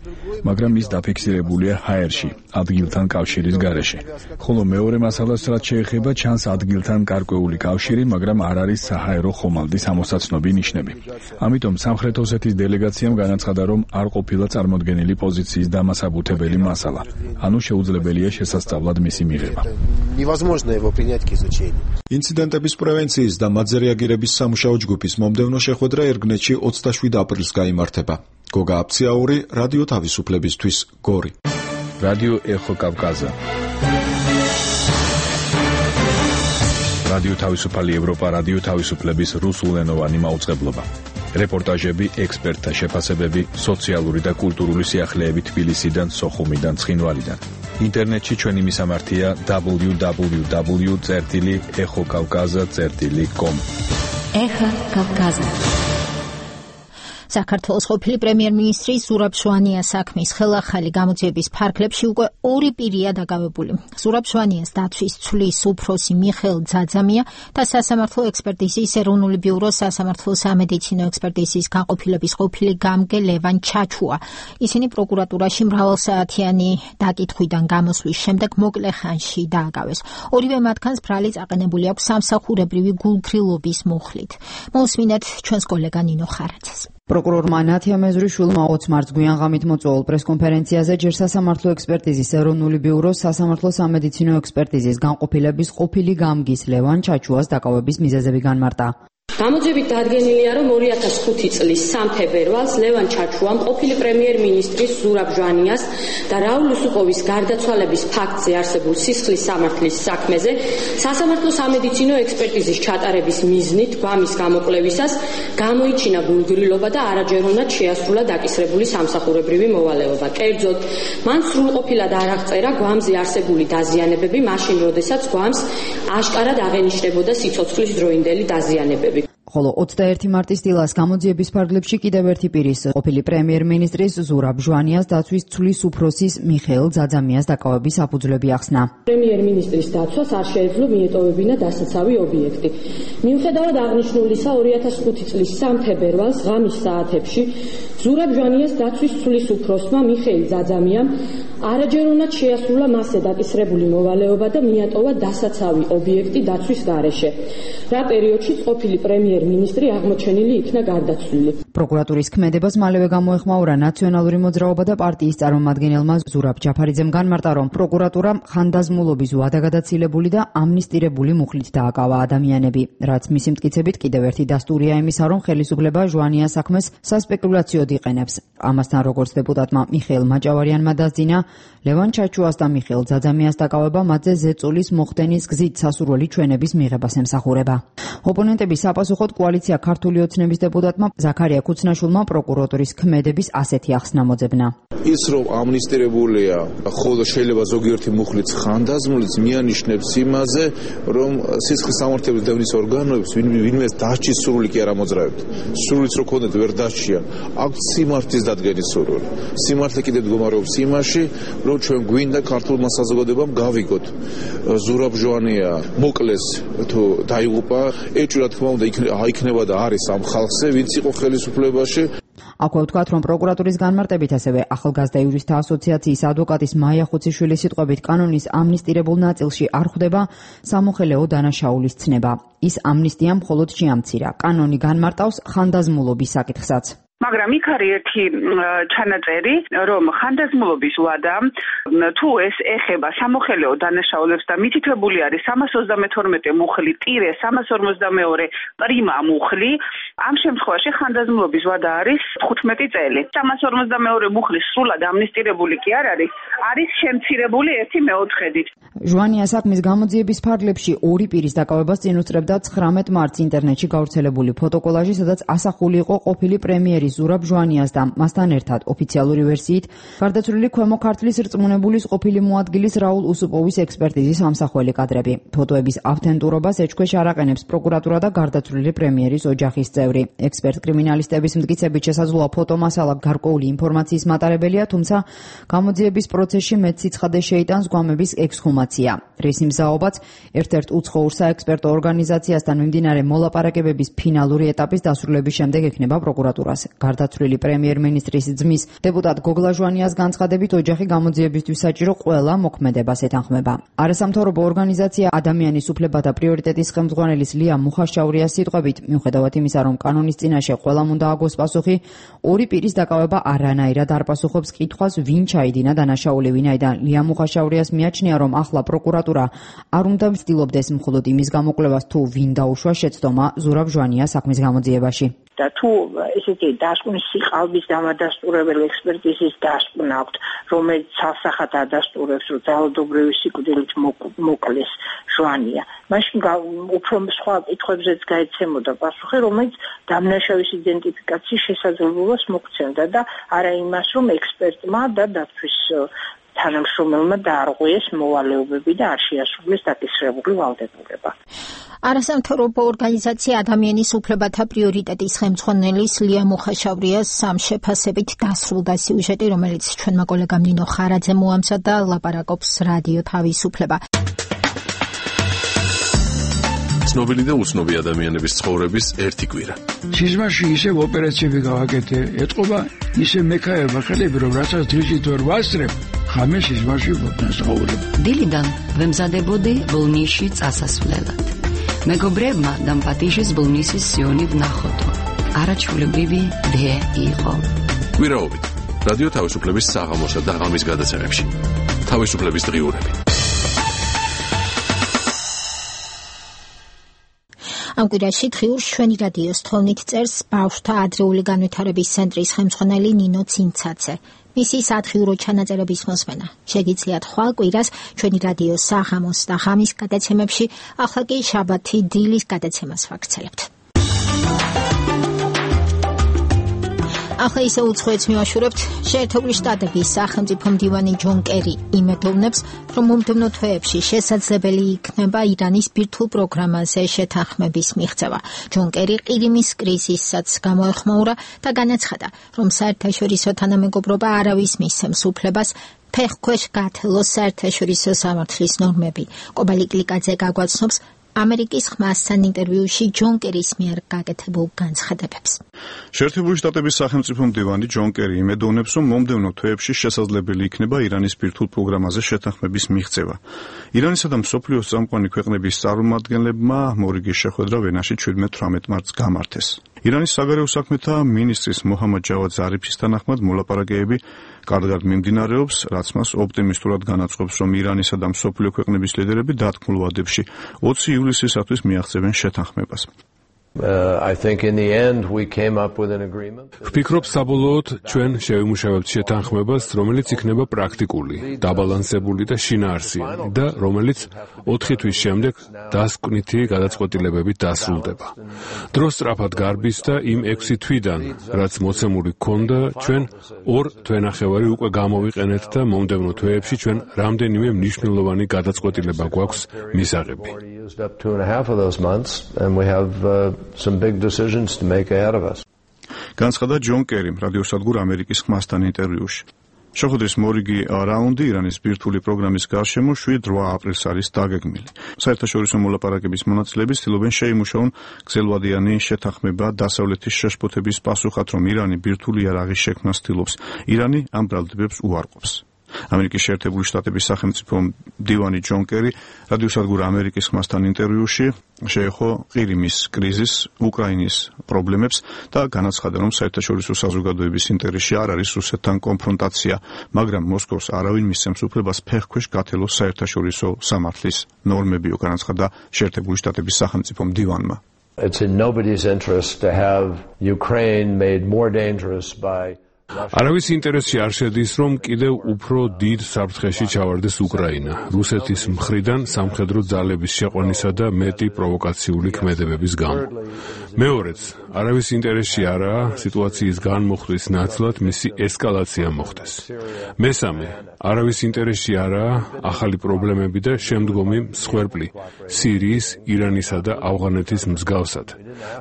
მაგრამ ის დაფიქსირებულია ჰაერში, ადგილთან კავშირის გარეშე. ხოლო მეორე მასალას რაც შეეხება, ჩანს ადგილთან გარკვეული კავშირი, მაგრამ არ არის საჰაერო ხომალდის ამოსაცნობი ნიშნები. ამიტომ სამხრეთ ოსეთის დელეგაციამ განაცხადა, რომ არ ყოფილა წარმოდგენილი პოზიციის დამასაბუთებელი მასალა, ანუ შეუძლებელია შესასწავლად მისი მიღება. Невозможно его принять к изучению. ინციდენტების პრევენციის და მათზე რეაგირების სამუშაო ჯგუფის მომდევნო შეხვედრა ერგნეთში ოცდაშვიდ აპრილს გაიმართება. გოგა აბციაური, რადიო თავისუფლებისთვის, გორი. რადიო ეხო კავკაზა. რადიო თავისუფალი ევროპა, რადიო თავისუფლების რუსულენოვანი მაუწყებლობა. რეპორტაჟები, ექსპერტთა შეფასებები, სოციალური და კულტურული სიახლეები თბილისიდან, სოხუმიდან, ცხინვალიდან. ინტერნეტში ჩვენი მისამართია დაბლიუ დაბლიუ დაბლიუ წერტილი ეხო კავკაზა წერტილი კომ. ეხა კავკაზა. საქართველოს ყოფილი პრემიერ-მინისტრი ზურაბ ჟვანიას საქმის ხელახალი გამოძიების ფარგლებში უკვე ორი პირია დაკავებული. ზურაბ ჟვანიას დაცვის ცვლის უფროსი მიხეილ ძაძამია და სასამართლო ექსპერტიზის ეროვნული ბიუროს სასამართლო სამედიცინო ექსპერტიზის განყოფილების ყოფილი გამგე ლევან ჩაჩუა. ისინი პროკურატურაში მრავალსაათიანი დაკითხვიდან გამოსვლის შემდეგ მოკლე ხანში დააკავეს. ორივე მათგანს ბრალი წაყენებული აქვს სამსახურებრივი გულგრილობის მუხლით. მოусმინეთ ჩვენს კოლეგა ნინო ხარაძეს. პროკურორმა ნათია მეზრიშვილმა ოცდაოთხ მარტს გვიან ღამით მოწვეულ პრესკონფერენციაზე ჯერ სასამართლო ექსპერტიზის ეროვნული ბიუროს სასამართლო სამედიცინო ექსპერტიზის განყოფილების ყოფილი გამგის ლევან ჩაჩუას დაკავების მიზეზები განმარტა. გამოძიებით დადგენილია, რომ ორი ათას ხუთი წლის სამი თებერვალს ლევან ჩაჩუამ ყოფილი პრემიერ-მინისტრის ზურაბ ჟვანიას და რაულ უსუპოვის გარდაცვალების ფაქტზე არსებულ სისხლის სამართლის საქმეზე სასამართლო სამედიცინო ექსპერტიზის ჩატარების მიზნით გვამის გამოკვლევისას გამოიჩინა გულგრილობა და არაჯეროვნად შეასრულა დაკისრებული სამსახურებრივი მოვალეობა. კერძოდ, მან სრულყოფილად არ აღწერა გვამზე არსებული დაზიანებები, მაშინ როდესაც გვამს აშკარად აღენიშნებოდა სიცოცხლის დროინდელი დაზიანებები. ხოლო ოცდაერთი მარტის დილას გამოძიების ფარგლებში კიდევ ერთი პირის ყოფილი პრემიერ-მინისტრის ზურაბ ჟვანიას დაცვის ცვლის უფროსის მიხეილ ძაძამიას დაკავების საფუძვლები ახსნა. პრემიერ-მინისტრის დაცვას არ შეეძლო მიეტოვებინა დასაცავი ობიექტი. მიუხედავად აღნიშნულისა, ორი ათას ხუთი წლის სამი თებერვალს ღამის საათებში ზურაბ ჟვანიას დაცვის ცვლის უფროსმა მიხეილ ძაძამიამ არაჯეროვნად შეასრულა მასზე დაკისრებული მოვალეობა და მიატოვა დასაცავი ობიექტი დაცვის გარეშე. რა პერიოდში ყოფილი პრემიერ-მინისტრი აღმოჩენილი იქნა გარდაცვლილი. პროკურატურის ქმედებას მალევე გამოეხმაურა ნაციონალური მოძრაობა და პარტიის წარმომადგენელმა ზურაბ ჯაფარიძემ განმარტა, რომ პროკურატურამ ხანდაზმულობის ვადაგადაცილებული და ამნისტირებული მუხლით დააკავა ადამიანები, რაც მისი მტკიცებით კიდევ ერთი დასტურია იმისა, რომ ხელისუფლება ჟვანიას საქმეს სასპეკულაციოდ იყენებს. ამასთან, როგორც დეპუტატმა მიხეილ მაჭავარიანმა დასძინა, ლევან ჩაჩუას და მიხეილ ძაძამიას დაკავება მათზე ზეწოლის მოხდენის გზით სასურველი ჩვენების მიღებას ემსახურება. ოპონენტების საპასუხოდ კოალიცია ქართული ოცნების დეპუტატმა ზაქარია ქუცნაშვილმა პროკურატურის ქმედების ასეთი ახსნა მოძებნა. ის რომ ამნისტირებულია, ხოლო შეიძლება ზოგიერთი მუხლიც ხანდაზმულიც მიანიშნებს იმაზე, რომ სისხლის სამართლების დევნის ორგანოებს ვინმეს დასჯის სურვილი კი არ ამოძრავებთ. სურვილიც რო ქონდეთ ვერ დასჯიან. აქვს სიმართლის დადგენის სურვილი. სიმართლე კიდევ მდგომარეობს იმაში, რომ ჩვენ გვინდა ქართულმა საზოგადოებამ გავიგოთ ზურაბ ჟვანია მოკლეს თუ დაიღუპა, ეჭვი რა თქმა უნდა აიქნება და არის ამ ხალხზე, ვინც იყო ხელისუფლებაში. აქვე ვთქვათ, რომ პროკურატურის განმარტებით ასევე ახალგაზრდა იურისტთა ასოციაციის ადვოკატის მაია ხუციშვილის სიტყვებით კანონის ამნისტირებულ ნაწილში არ ხვდება სამოხელეო დანაშაულის ცნება. ის ამნისტია მხოლოდ შეამცირა. კანონი განმარტავს ხანდაზმულობის საკითხსაც. მაგრამ იქ არის ერთი ჩანაწერი, რომ ხანდაზმულობის ვადა თუ ეს ეხება სამოხელეო დანაშაულებს და მითითებული არის სამას ოცდამეთორმეტე მუხლი ტირე სამას ორმოცდამეორე პრიმა მუხლი, ამ შემთხვევაში ხანდაზმულობის ვადა არის თხუთმეტი წელი. სამას ორმოცდამეორე მუხლი სრულად ამნისტირებული კი არ არის, არის შემცირებული ერთი მეოთხედით. ჟვანიას საქმის გამოძიების ფარგლებში ორი პირის დაკავებას წინ უსწრებდა ცხრამეტ მარტს ინტერნეტში გავრცელებული ფოტოკოლაჟი, სადაც ასახული იყო ყოფილი პრემიერი ზურაბ ჟვანიას და მასთან ერთად ოფიციალური ვერსიით გარდაცვლილი ქვემო ქართლის რწმუნებულის ყოფილი მოადგილის რაულ უსუპოვის ექსპერტიზის ამსახველი კადრები. ფოტოების ავთენტურობას ეჭქვეშ არ აყენებს პროკურატურა და გარდაცვლილი პრემიერის ოჯახის წევრი. ექსპერტ-კრიმინალისტების მტკიცებით შესაძლოა ფოტომასალა გარკვეული ინფორმაციის მატარებელია, თუმცა გამოძიების პროცესში მეტ სიცხადე შეიტანს გვამების ექსჰუმაცია. რის მზაობაც ერთ-ერთ უცხოურ საექსპერტო ორგანიზაციასთან მიმდინარე მოლაპარაკებების ფინალური ეტაპის დასრულების შემდეგ ექნება პროკურატურას. გარდაცვლილი პრემიერ-მინისტრის ძმის დეპუტატ გოგლა ჟვანიას განცხადებით, ოჯახი გამოძიებისთვის საჭირო ყველა მოქმედებას ეთანხმება. არასამთავრობო ორგანიზაცია ადამიანის უფლებათა პრიორიტეტის ხელმძღვანელის ლია მუხაშაურიას სიტყვებით, მიუხედავად იმისა, რომ კანონის წინაშე ყველამ უნდა აგოს პასუხი, ორი პირის დაკავება არანაირად არ პასუხობს კითხვას, ვინ ჩაიდინა დანაშაული, ვინაიდან ლია მუხაშაურიას მიაჩნია, რომ ახლა პროკურატურა არ უნდა ცდილობდეს მხოლოდ იმის გამოკვლევას, თუ ვინ დაუშვა შეცდომა ზურაბ ჟვანიას საქმის გამოძიებაში. და თუ ესეთი დასკვნის სიყალბის დამადასტურებელი ექსპერტიზის დასკვნა აქვთ, რომელიც ცალსახად ადასტურებს, რომ ძალადობრივი სიკვდილით მოკლეს ჟვანია, მაშინ უფრო სხვა კითხვებზეც გაეცემოდა პასუხი, რომელიც დამნაშავის იდენტიფიკაციის შესაძლებლობას მოგცემდა და არა იმას, რომ ექსპერტმა და დაცვის თანამშრომელმა დაარღვიეს მოვალეობები და არ შეასრულეს დაკისრებული ვალდებულება. არასამთავრობო ორგანიზაცია ადამიანის უფლებათა პრიორიტეტის ხელმძღვანელის ლია მუხაშავრიას სამ შეფასებით დასრულდა სიუჟეტი, რომელიც ჩვენმა კოლეგამ ნინო ხარაძემ მოამზადა, ლაპარაკობს რადიო თავისუფლება. ცნობილი და უცნობი ადამიანების ცხოვრების ერთი კვირა. სიზმარში ისევ ოპერაციები გავაკეთე, ეთყობა ისე მექაერმა ხელები, რომ რასაც დღისით ვერ ვასწრებ, ხამე სიზმარში ვწხოვრებ. დილიდან ვემზადებოდი ბოლნისში წასასვლელად. მეგობრებმა დამპატიშეს ბოლნისის სიონი ვნახოთო. არაჩვეულებრივი დე იყო. კვირაობით რადიო თავისუფლების საღამოსა და ღამის გადაცემებში. თავისუფლების დღიურები. ამ კვირაში დღიურს ჩვენი რადიოს თოვნით წერს ბავშვთა ადრეული განვითარების ცენტრის ხელმძღვანელი ნინო ცინცაძე. მისი სათხიურო ჩანაწერების მოსმენა შეგიძლიათ ხვალ კვირას ჩვენი რადიოს საღამოს და ღამის გადაცემებში, ახლა კი შაბათი დილის გადაცემას ვაგრძელებთ. ახლა ისე უცხოეთს მივაშურებთ. შეერთებული შტატების სახელმწიფო მდივანი ჯონ კერი იმედოვნებს, რომ მომდევნო თვეებში შესაძლებელი იქნება ირანის ბირთვულ პროგრამაზე შეთანხმების მიღწევა. ჯონ კერი ყირიმის კრიზისსაც გამოეხმაურა და განაცხადა, რომ საერთაშორისო თანამეგობრობა არავის მისცემს უფლებას ფეხქვეშ გათელოს საერთაშორისო სამართლის ნორმები. კობალი კლიკაძე გაგვაცნობს ამერიკის ხმასთან ინტერვიუში ჯონ კერის მიერ გაკეთებულ განცხადებებს. შეერთებული შტატების სახელმწიფო მდივანი ჯონ კერი იმედოვნებს, რომ მომდევნო თვეებში შესაძლებელი იქნება ირანის ბირთვულ პროგრამაზე შეთანხმების მიღწევა. ირანისა და მსოფლიოს წამყვანი ქვეყნების წარმომადგენლებმა მორიგის შეხვედრა ვენაში შვიდმეტ თვრამეტ მარტს გამართეს. ირანის საგარეო საქმეთა მინისტრის მოჰამად ჯავად ზარიფის თანახმად მოლაპარაკებები კარგად მიმდინარეობს, რაც მას ოპტიმისტურად განაცხობს, რომ ირანისა და მსოფლიო ქვეყნების ლიდერები დათქმულ ვადებში ოცი ივლისისათვის მიაღწევენ შეთანხმებას. ვფიქრობ, საბოლოოდ ჩვენ შევიმუშავებთ შეთანხმებას, რომელიც იქნება პრაქტიკული, დაბალანსებული და შინაარსიანი და რომელიც ოთხი თვის შემდეგ დასკვნითი გადაწყვეტილებებით დასრულდება. დრო სწრაფად გარბის და იმ ექვსი თვიდან, რაც მოცემული გქონდა, ჩვენ ორ თვენახევარი უკვე გამოვიყენეთ და მომდევნო თვეებში ჩვენ რამდენიმე მნიშვნელოვანი გადაწყვეტილება გვაქვს მისაღები. some big decisions to make ahead of us. განცხადა ჯონ კერიმ რადიოსადგურ ამერიკის ხმასთან ინტერვიუში. შეხვედრის მორიგი რაუნდი ირანის ბირთვული პროგრამის გარშემო შვიდ რვა აპრილს არის დაგეგმილი. საერთაშორისო მოლაპარაკების მონაწილეები ცდილობენ შეიმუშაონ გრძელვადიანი შეთანხმება დასავლეთის შეშფოთების პასუხად, რომ ირანი ბირთვული იარაღის შექმნას ცდილობს. ირანი ამ ბრალდებებს უარყოფს. ამერიკის შეერთებული შტატების სახელმწიფო მდივანი ჯონ კერი რადიოსადგურ ამერიკის ხმასთან ინტერვიუში შეეხო ყირიმის კრიზისს, უკრაინის პრობლემებს და განაცხადა, რომ საერთაშორისო საზოგადოების ინტერესში არ არის რუსეთთან კონფრონტაცია, მაგრამ მოსკოვს არავინ მისცემს უფლებას ფეხქვეშ გათელოს საერთაშორისო სამართლის ნორმებიო, განაცხადა შეერთებული შტატების სახელმწიფო მდივანმა. It's in nobody's interest to have Ukraine made more dangerous by არავის ინტერესში არ შედის, რომ კიდევ უფრო დიდ საფრთხეში ჩავარდეს უკრაინა, რუსეთის მხრიდან სამხედრო ძალების შეყვანისა და მეტი პროვოკაციული ქმედებების გამო. მეორეც, არავის ინტერესში არაა სიტუაციის განმოხტვის ნაცვლად მისი ესკალაცია მოხდეს. მესამე, არავის ინტერესში არაა ახალი პრობლემები და შემდგომი მსხვერპლი სირიის, ირანისა და ავღანეთის მსგავსად,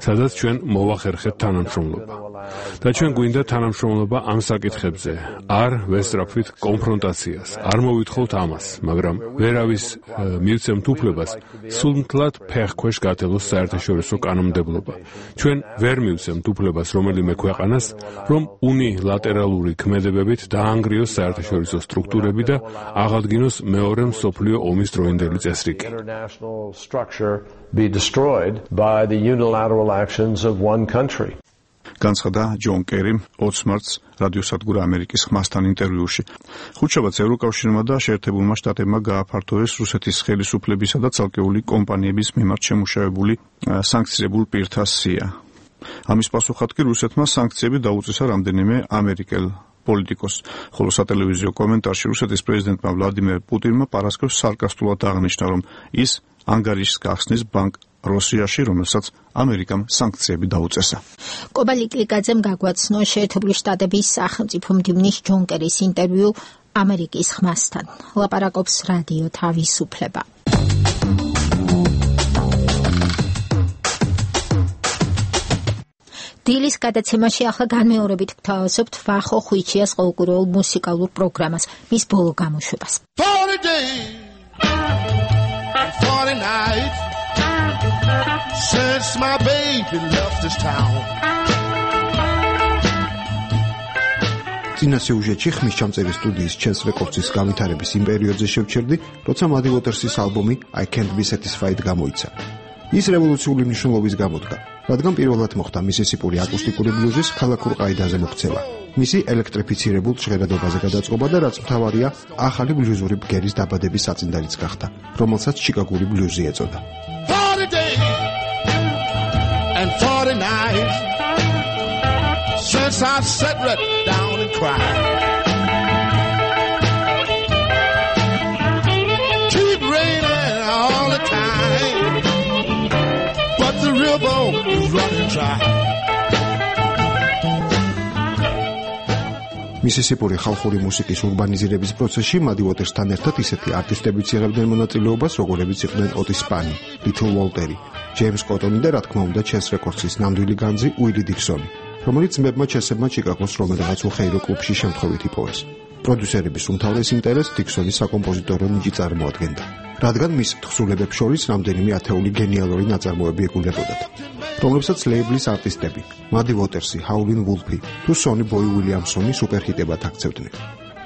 სადაც ჩვენ მოვახერხეთ თანამშრომლობა. და ჩვენ გვინდა თანამშრომლობა ამ საკითხებზე, არ ვესწრაფვით კონფრონტაციას, არ მოვითხოვთ ამას, მაგრამ ვერავის მივცემთ უფლებას სულმთლად ფეხქვეშ გათელოს საერთაშორისო კანონმდებლობა. ჩვენ ვერ მივცემთ უფლებას რომელიმე ქვეყანას, რომ უნილატერალური ქმედებებით დაანგრიოს საერთაშორისო სტრუქტურები და აღადგინოს მეორე მსოფლიო ომის დროინდელი წესრიგი. be destroyed by the unilateral actions of one country. განცხადა ჯონ კერიმ ოცი მარტს რადიოსადგურ ამერიკის ხმასთან ინტერვიუში. ხუთშაბათს ევროკავშირმა და შეერთებულმა შტატებმა გააფართოვეს რუსეთის ხელისუფლებისა და ცალკეული კომპანიების მიმართ შემუშავებული სანქციებულ პირთა სია. ამის პასუხად კი რუსეთმა სანქციები დაუწესა რამდენიმე ამერიკელ პოლიტიკოსს, ხოლო სატელევიზიო კომენტარში რუსეთის პრეზიდენტმა ვლადიმერ პუტინმა პარასკევს სარკასტულად აღნიშნა, რომ ის ანგარიშს გახსნის ბანკ რუსიაში, რომელსაც ამერიკამ სანქციები დაუწესა. კობალი კლიკაძემ გაგვაცნო შეერთებული შტატების სახელმწიფო მდივნის ჯონ კერის ინტერვიუ ამერიკის ხმასთან. ლაპარაკობს რადიო თავისუფლება. დილის გადაცემაში ახლა განმეორებით გთავაზობთ ვახო ხვიჩიას ყოველკვირეულ მუსიკალურ პროგრამას, მის ბოლო გამოშვებას. forty days and forty nights since my baby left this town. წინა სიუჟეტში ხმის ჩამწერი სტუდიის Chess Records-ის განვითარების იმ პერიოდზე შევჩერდი, როცა Muddy Waters-ის ალბომი I Can't Be Satisfied გამოიცა. ის რევოლუციური მნიშვნელობის გამოდგა, რადგან პირველად მოხდა მისისიპური აკუსტიკური ბლუზის ქალაქურ ყაიდაზე მოქცევა. მისი ელექტრიფიცირებულ ჟღერადობაზე გადაწყობა და რაც მთავარია, ახალი ბლუზური ბგერის დაბადების საწინდარიც გახდა, რომელსაც ჩიკაგური ბლუზი ეწოდა. forty days and forty nights since I sat right down and cried. Keep raining all the time, but the river is running dry. მისისიპური ხალხური მუსიკის ურბანიზირების პროცესში Muddy Waters-თან ერთად ისეთი არტისტებიც იღებდნენ მონაწილეობას, როგორებიც იყვნენ Otis Spann, Little Walter, James Cotton და რა თქმა უნდა Chess Records-ის ნამდვილი განძი Willie Dixon, რომელიც მეებმა ჩესებმა ჩიკაგოს რომელიღაც უხეირო კლუბში შემთხვევით იპოვეს. პროდიუსერების უმთავრეს ინტერესს Dixon-ის საკომპოზიტორო ნიჭი წარმოადგენდა, რადგან მის თხზულებებს შორის რამდენიმე ათეული გენიალური ნაწარმოები ეგულებოდათ, რომლებსაც ლეიბლის არტისტები Muddy Waters-ი, Howlin' Wolf-ი თუ Sonny Boy Williamson-ი სუპერჰიტებად აქცევდნენ.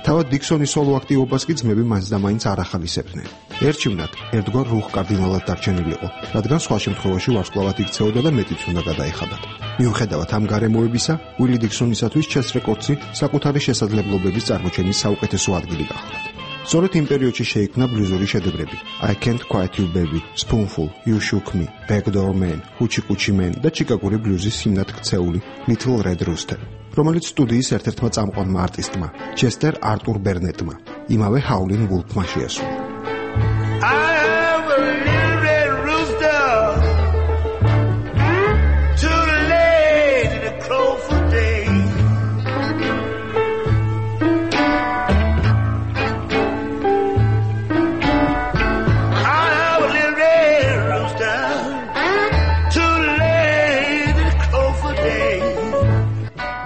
თავად Dixon-ის სოლო აქტივობას კი ძმები მაინც და მაინც არ ახალისებდნენ. ერჩივნად ერთგვარ რუხ კარდინალად დარჩენილიყო, რადგან სხვა შემთხვევაში ვარსკვლავად იქცეოდა და მეტიც უნდა გადაეხადათ. მიუხედავად ამ გარემოებისა, Willie Dixon-ისათვის Chess Records-ი საკუთარი შესაძლებლობების წარმოჩენის საუკეთესო ადგილი გახლდათ. სწორედ იმ პერიოდში შეიქმნა ბლუზური შედევრები I Can't Quiet You Baby, Spoonful, You Shook Me, Backdoor Man, Hoochie Coochie Man და ჩიკაგური ბლუზის ჰიმნად ქცეული Little Red Rooster, რომელიც სტუდიის ერთ-ერთმა წამყვანმა არტისტმა, ჩესტერ არტურ ბერნეტმა, იმავე Howlin' Wolf-მა შეასრულა.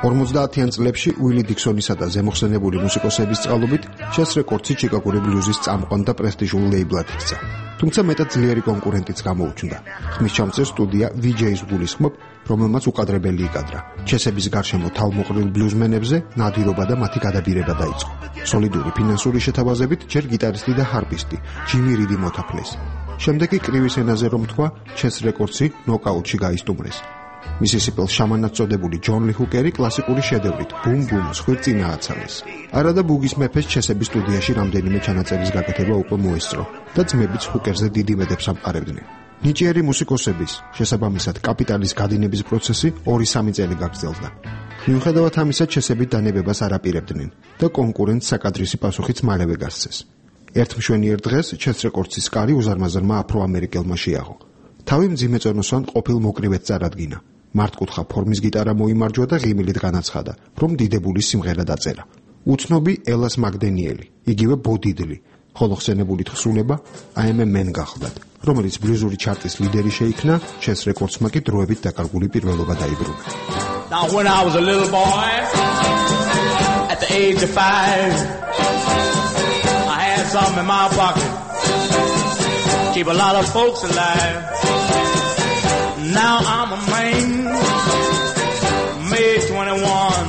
ორმოცდაათიან წლებში Willie Dixon-ისა და ზემოხსენებული მუსიკოსების წყალობით Chess Records-ი ჩიკაგური ბლუზის წამყვან და პრესტიჟულ ლეიბლად იქცა. თუმცა მეტად ძლიერი კონკურენტიც გამოუჩნდა. ხმის ჩამწერ სტუდია V J's გულისხმობ, რომელმაც უკადრებელი იკადრა. ჩესების გარშემო თავმოყრილ ბლუზმენებზე ნადირობა და მათი გადაბირება დაიწყო. სოლიდური ფინანსური შეთავაზებით ჯერ გიტარისტი და ჰარპისტი Jimmy Reed მოთაფლეს. შემდეგ კი კრივის ენაზე რომ თქვა, Chess Records-ი ნოკაუტში გაისტუმრეს. მისისიპელ შამანად წოდებული ჯონ ლი ჰუკერი კლასიკური შედევრით ბუმ ბუმ ხვირწინა აცალეს. არა და ბუგის მეფეს ჩესების სტუდიაში რამდენიმე ჩანაწერის გაკეთება უკვე მოესწრო და ძმებიც ჰუკერზე დიდი მედებს ამყარებდნენ. ნიჭიერი მუსიკოსების, შესაბამისად კაპიტალის გადინების პროცესი ორი სამი წელი გაგრძელდა. მიუხედავად ამისა, ჩესები დანებებას არ აპირებდნენ და კონკურენტს საკადრისი პასუხიც მალევე გასცეს. ერთ მშვენიერ დღეს Chess Records-ის კარი უზარმაზარმა აფრო-ამერიკელმა შეაღო. თავი მძიმეწონოსან ყოფილ მოკრივეთ წარადგინა. მართკუთხა ფორმის გიტარა მოიმარჯვა და ღიმილით განაცხადა, რომ დიდებული სიმღერა დაწერა. უცნობი ელას მაგდენიელი, იგივე ბოდიდლი, ხოლო ხსენებული თხზულება I Am a Man გახლდათ, რომელიც ბლუზური ჩარტის ლიდერი შეიქნა, Chess Records-მა კი დროებით დაკარგული პირველობა დაიბრუნა. Now when I was a little boy at the age of five I had something in my pocket keep a lot of folks alive. Now I'm a man, May twenty-one.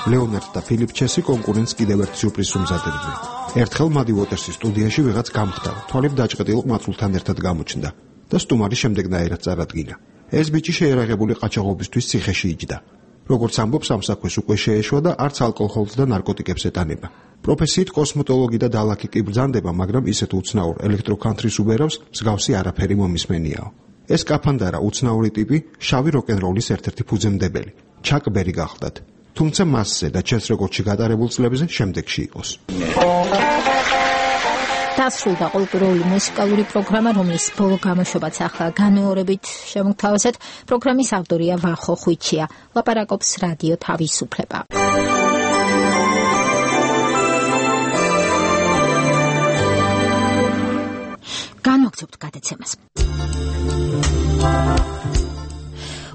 ლეონარდ და ფილიპ ჩესი კონკურენტს კიდევ ერთ სიურპრიზს უმზადებდნენ. ერთხელ Muddy Waters-ის სტუდიაში ვიღაც გამხდა, თვალებ დაჭყეტილ ყმაწვილთან ერთად გამოჩნდა და სტუმარი შემდეგნაირად წარადგინა. ეს ბიჭი შეერაღებული ყაჩაღობისთვის ციხეში იჯდა. როგორც ამბობს, ამ საქმეს უკვე შეეშვა და არც ალკოჰოლს და ნარკოტიკებს ეტანება. პროფესიით კოსმეტოლოგი და დალაქი კი ბრძანდება, მაგრამ ისეთ უცნაურ ელექტროკანთრის უბერავს მსგავსი არაფერი მომისმენიაო. ეს კაფანდარა უცნაური ტიპი შავი როკ-ენ-როლის ერთ-ერთი ფუძემდებელი, ჩაკ ბერი გახლდათ. თუმცა მასზე და Chess Records-ში გატარებულ წლებზე შემდეგში იყოს. დასრულდა კულტურული მუსიკალური პროგრამა, რომლის ბოლო გამოშვებაც ახლა განმეორებით შემოგთავაზეთ. პროგრამის ავტორია ვახო ხვიჩია. ლაპარაკობს რადიო თავისუფლება. განვაგრძობთ გადაცემას.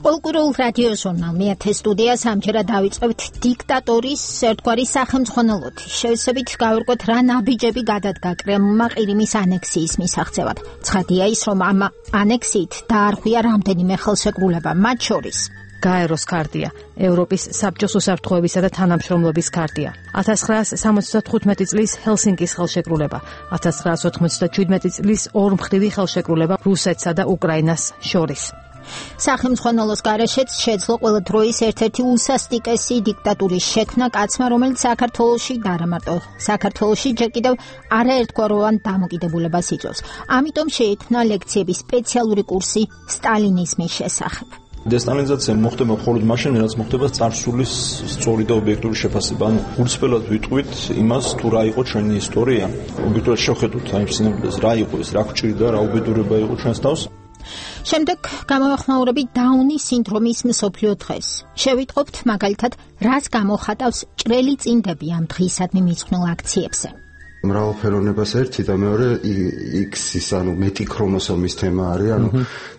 კულტურულ რადიო ჟურნალ მეათე სტუდიას ამჯერად დავიწყებთ დიქტატორის ერთგვარი სახელმძღვანელოთ. შევსებით გავერკვეთ რა ნაბიჯები გადადგა კრემლმა ყირიმის ანექსიის მისაღწევად. ცხადია ის, რომ ამ ანექსიით დაარღვია რამდენიმე ხელშეკრულება, მათ შორის გაეროს ქარტია, ევროპის საბჭოს უსაფრთხოებისა და თანამშრომლობის ქარტია, ათას ცხრაას სამოცდათხუთმეტი წლის ჰელსინკის ხელშეკრულება, ათას ცხრაას ოთხმოცდაჩვიდმეტი წლის ორმხრივი ხელშეკრულება რუსეთსა და უკრაინას შორის. სახელმძღვანელოს გარეშეც შეძლო ყველა დროის ერთ-ერთი უსასტიკესი დიქტატურის შექმნა კაცმა, რომელიც საქართველოში და არა მარტო საქართველოში ჯერ კიდევ არაერთგვაროვან დამოკიდებულებას იძლევის. ამიტომ შეიქმნა ლექციების სპეციალური კურსი სტალინიზმის შესახებ. დესტალინიზაცია მოხდება მხოლოდ მაშინ, რაც მოხდება წარსულის სწორი და ობიექტური შეფასება. ანუ გულწრფელად ვიტყვით იმას, თუ რა იყო ჩვენი ისტორია. ობიექტურად შევხედოთ აი სინამდვილეს, რა იყო ეს, რა გჭირდა, რა უბედურება იყო ჩვენს თავს. შემდეგ გამოვახმაურებით დაუნის სინდრომის მსოფლიო დღეს. შევიტყობთ მაგალითად, რას გამოხატავს ჭრელი წინდები ამ დღისადმი მიძღვნილ აქციებზე. მრავალფეროვნებას ერთი და მეორე X-ის, ანუ მეტი ქრომოსომის თემა არის, ანუ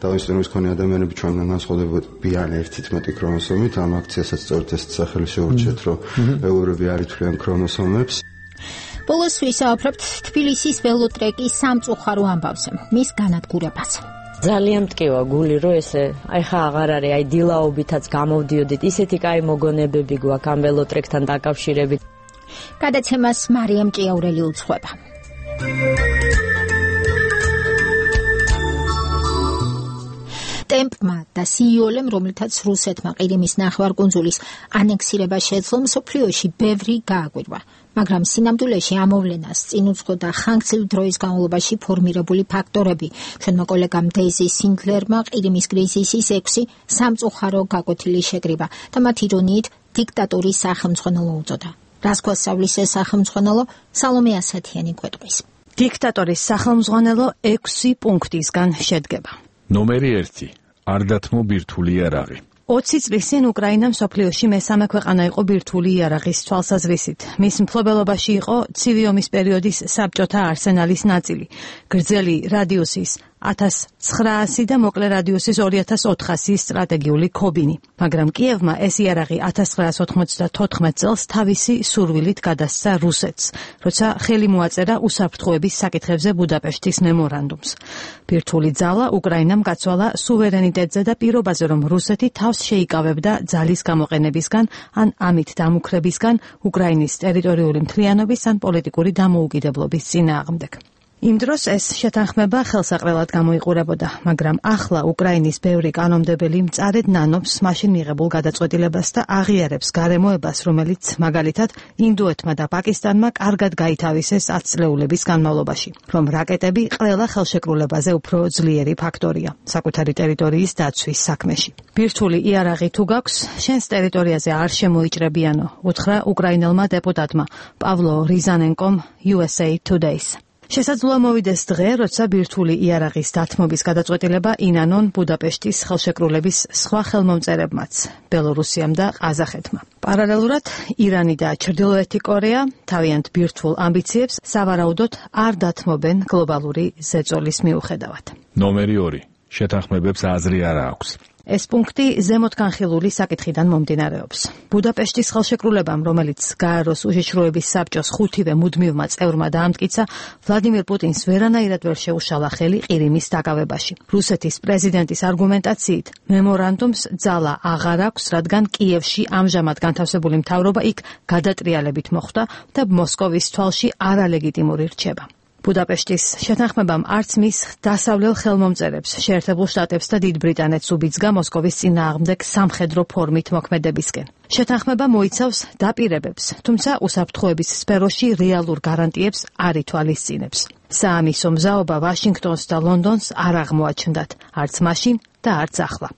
თავისუფლების მქონე ადამიანები ჩვენგან განსხვავდებიან ერთით მეტი ქრომოსომით. ამ აქციასაც სწორედ ეს სახელი შეურჩიეთ, რომ ველურები არ ითვლიან ქრომოსომებს. ბოლოს ვისაუბრებთ თბილისის ველოტრეკის სამწუხარო ამბავზე, მის განადგურებას. ძალიან მტკივა გული, რომ ესე აი ხა აღარ არის, აი დილაობითაც გამოვდიოდით, ისეთი კაი მოგონებები გვაქვს ამ ველოტრეკთან დაკავშირებით. გადაცემას მარიამ ჭიაურელი უძღვება. ტემპმა და სიოლემ, რომლითაც რუსეთმა ყირიმის ნახევარკუნძულის ანექსირება შეძლო, მსოფლიოში ბევრი გააგვირვა. მაგრამ სინამდვილეში ამოვლენას წინ უძღოდა ხანგრძლივი დროის განმავლობაში ფორმირებული ფაქტორები. ჩვენმა კოლეგამ დეიზი სინდლერმა ყირიმის კრიზისის ექვსი სამწუხარო გაკვეთილი შეკრიბა და მათ ირონიით დიქტატურის სახელმძღვანელო უწოდა. რას გვასწავლის ეს სახელმძღვანელო? სალომე ასათიანი გვეტყვის. დიქტატორის სახელმძღვანელო ექვსი პუნქტისგან შედგება. ნომერი ერთი. არ დათმო ბირთვული იარაღი. ოცი წლის წინ უკრაინა მსოფლიოში მესამე ქვეყანა იყო ბირთვული იარაღის თვალსაზრისით. მის მფლობელობაში იყო ცივი ომის პერიოდის საბჭოთა არსენალის ნაწილი, გრძელი რადიუსის ათას ცხრაასი და მოკლე რადიუსის ორი ათას ოთხასი სტრატეგიული ქობინი. მაგრამ კიევმა ეს იარაღი ათას ცხრაას ოთხმოცდათოთხმეტ წელს თავისი სურვილით გადასცა რუსეთს, როცა ხელი მოაწერა უსაფრთხოების საკითხებზე ბუდაპეშტის მემორანდუმს. ბირთვული ძალა უკრაინამ გაცვალა სუვერენიტეტზე და პირობაზე, რომ რუსეთი თავს შეიკავებდა ძალის გამოყენებისგან ან ამით დამუქრებისგან უკრაინის ტერიტორიული მთლიანობის ან პოლიტიკური დამოუკიდებლობის წინააღმდეგ. იმ დროს ეს შეთანხმება ხელსაყრელად გამოიყურებოდა, მაგრამ ახლა უკრაინის ბევრი კანონმდებელი მწარედ ნანობს მაშინ მიღებულ გადაწყვეტილებას და აღიარებს გარემოებას, რომელიც მაგალითად ინდოეთმა და პაკისტანმა კარგად გაითავისეს ათწლეულების განმავლობაში, რომ რაკეტები ყველა ხელშეკრულებაზე უფრო ძლიერი ფაქტორია საკუთარი ტერიტორიის დაცვის საქმეში. ბირთვული იარაღი თუ გაქვს, შენს ტერიტორიაზე არ შემოიჭრებიანო, უთხრა უკრაინელმა დეპუტატმა პავლო რიზანენკომ U S A Today-ს. შესაძლოა მოვიდეს დღე, როცა ბირთვული იარაღის დათმობის გადაწყვეტილება ინანონ ბუდაპეშტის ხელშეკრულების სხვა ხელმომწერებმაც, ბელორუსიამ და ყაზახეთმა. პარალელურად ირანი და ჩრდილოეთი კორეა თავიანთ ბირთვულ ამბიციებს სავარაუდოდ არ დათმობენ გლობალური ზეწოლის მიუხედავად. ნომერი ორი. შეთანხმებებს აზრი არ აქვს. ეს პუნქტი ზემოთგანხილული საკითხიდან მომდინარეობს. ბუდაპეშტის ხელშეკრულებამ, რომელიც გაეროს უშიშროების საბჭოს ხუთივე მუდმივმა წევრმა დაამტკიცა, ვლადიმირ პუტინს ვერანაირად ვერ შეუშალა ხელი ყირიმის დაკავებაში. რუსეთის პრეზიდენტის არგუმენტაციით, მემორანდუმს ძალა აღარ აქვს, რადგან კიევში ამჟამად განთავსებული მთავრობა იქ გადატრიალებით მოხვდა და მოსკოვის თვალში არალეგიტიმური რჩება. ბუდაპეშტის შეთანხმებამ არც მის დასავლელ ხელმომწერებს, შეერთებულ შტატებს და დიდ ბრიტანეთს უბიძგა მოსკოვის წინააღმდეგ სამხედრო ფორმით მოქმედებისკენ. შეთანხმება მოიცავს დაპირებებს, თუმცა უსაფრთხოების სფეროში რეალურ გარანტიებს არ ითვალისწინებს. საამისო მზაობა ვაშინგტონს და ლონდონს არ აღმოაჩნდათ, არც მაშინ და არც ახლა.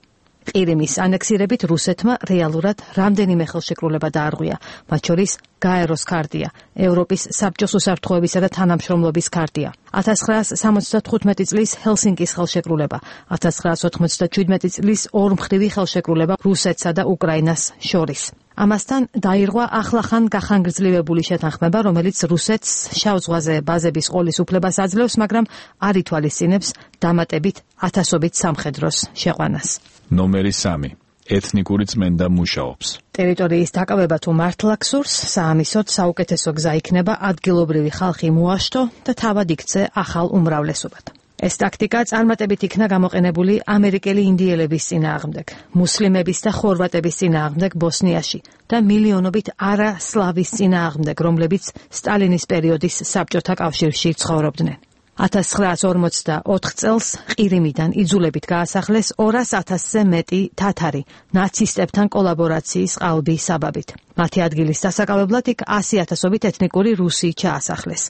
ყირიმის ანექსირებით რუსეთმა რეალურად რამდენიმე ხელშეკრულება დაარღვია, მათ შორის გაეროს ქარტია, ევროპის საბჭოს უსაფრთხოებისა და თანამშრომლობის ქარტია, ათას ცხრაასი სამოცდათხუთმეტი წლის ჰელსინკის ხელშეკრულება, ათას ცხრაასი ოთხმოცდაჩვიდმეტი წლის ორმხრივი ხელშეკრულება რუსეთსა და უკრაინას შორის. ამასთან დაირღვა ახლახან გახანგრძლივებული შეთანხმება, რომელიც რუსეთს შავ ზღვაზე ბაზების ყოლის უფლებას აძლევს, მაგრამ არ ითვალისწინებს დამატებით ათასობით სამხედროს შეყვანას. ნომერი სამი. ეთნიკური წმენდა მუშაობს. ტერიტორიის დაკავება თუ მართლა გსურს, საამისოდ საუკეთესო გზა იქნება ადგილობრივი ხალხი მოაშთო და თავად იქცე ახალ უმრავლესობად. ეს ტაქტიკა წარმატებით იქნა გამოყენებული ამერიკელი ინდიელების წინააღმდეგ, მუსლიმების და ხორვატების წინააღმდეგ ბოსნიაში და მილიონობით არა სლავის წინააღმდეგ, რომლებიც სტალინის პერიოდის საბჭოთა კავშირში ცხოვრობდნენ. ათას ცხრაასი ორმოცდაოთხ წელს ყირიმიდან იძულებით გაასახლეს ორას ათასზე მეტი თათარი ნაცისტებთან კოლაბორაციის ყალბის საბაბით. მათი ადგილის დასაკავებლად იქ ასი ათასობით ეთნიკური რუსი ჩაასახლეს.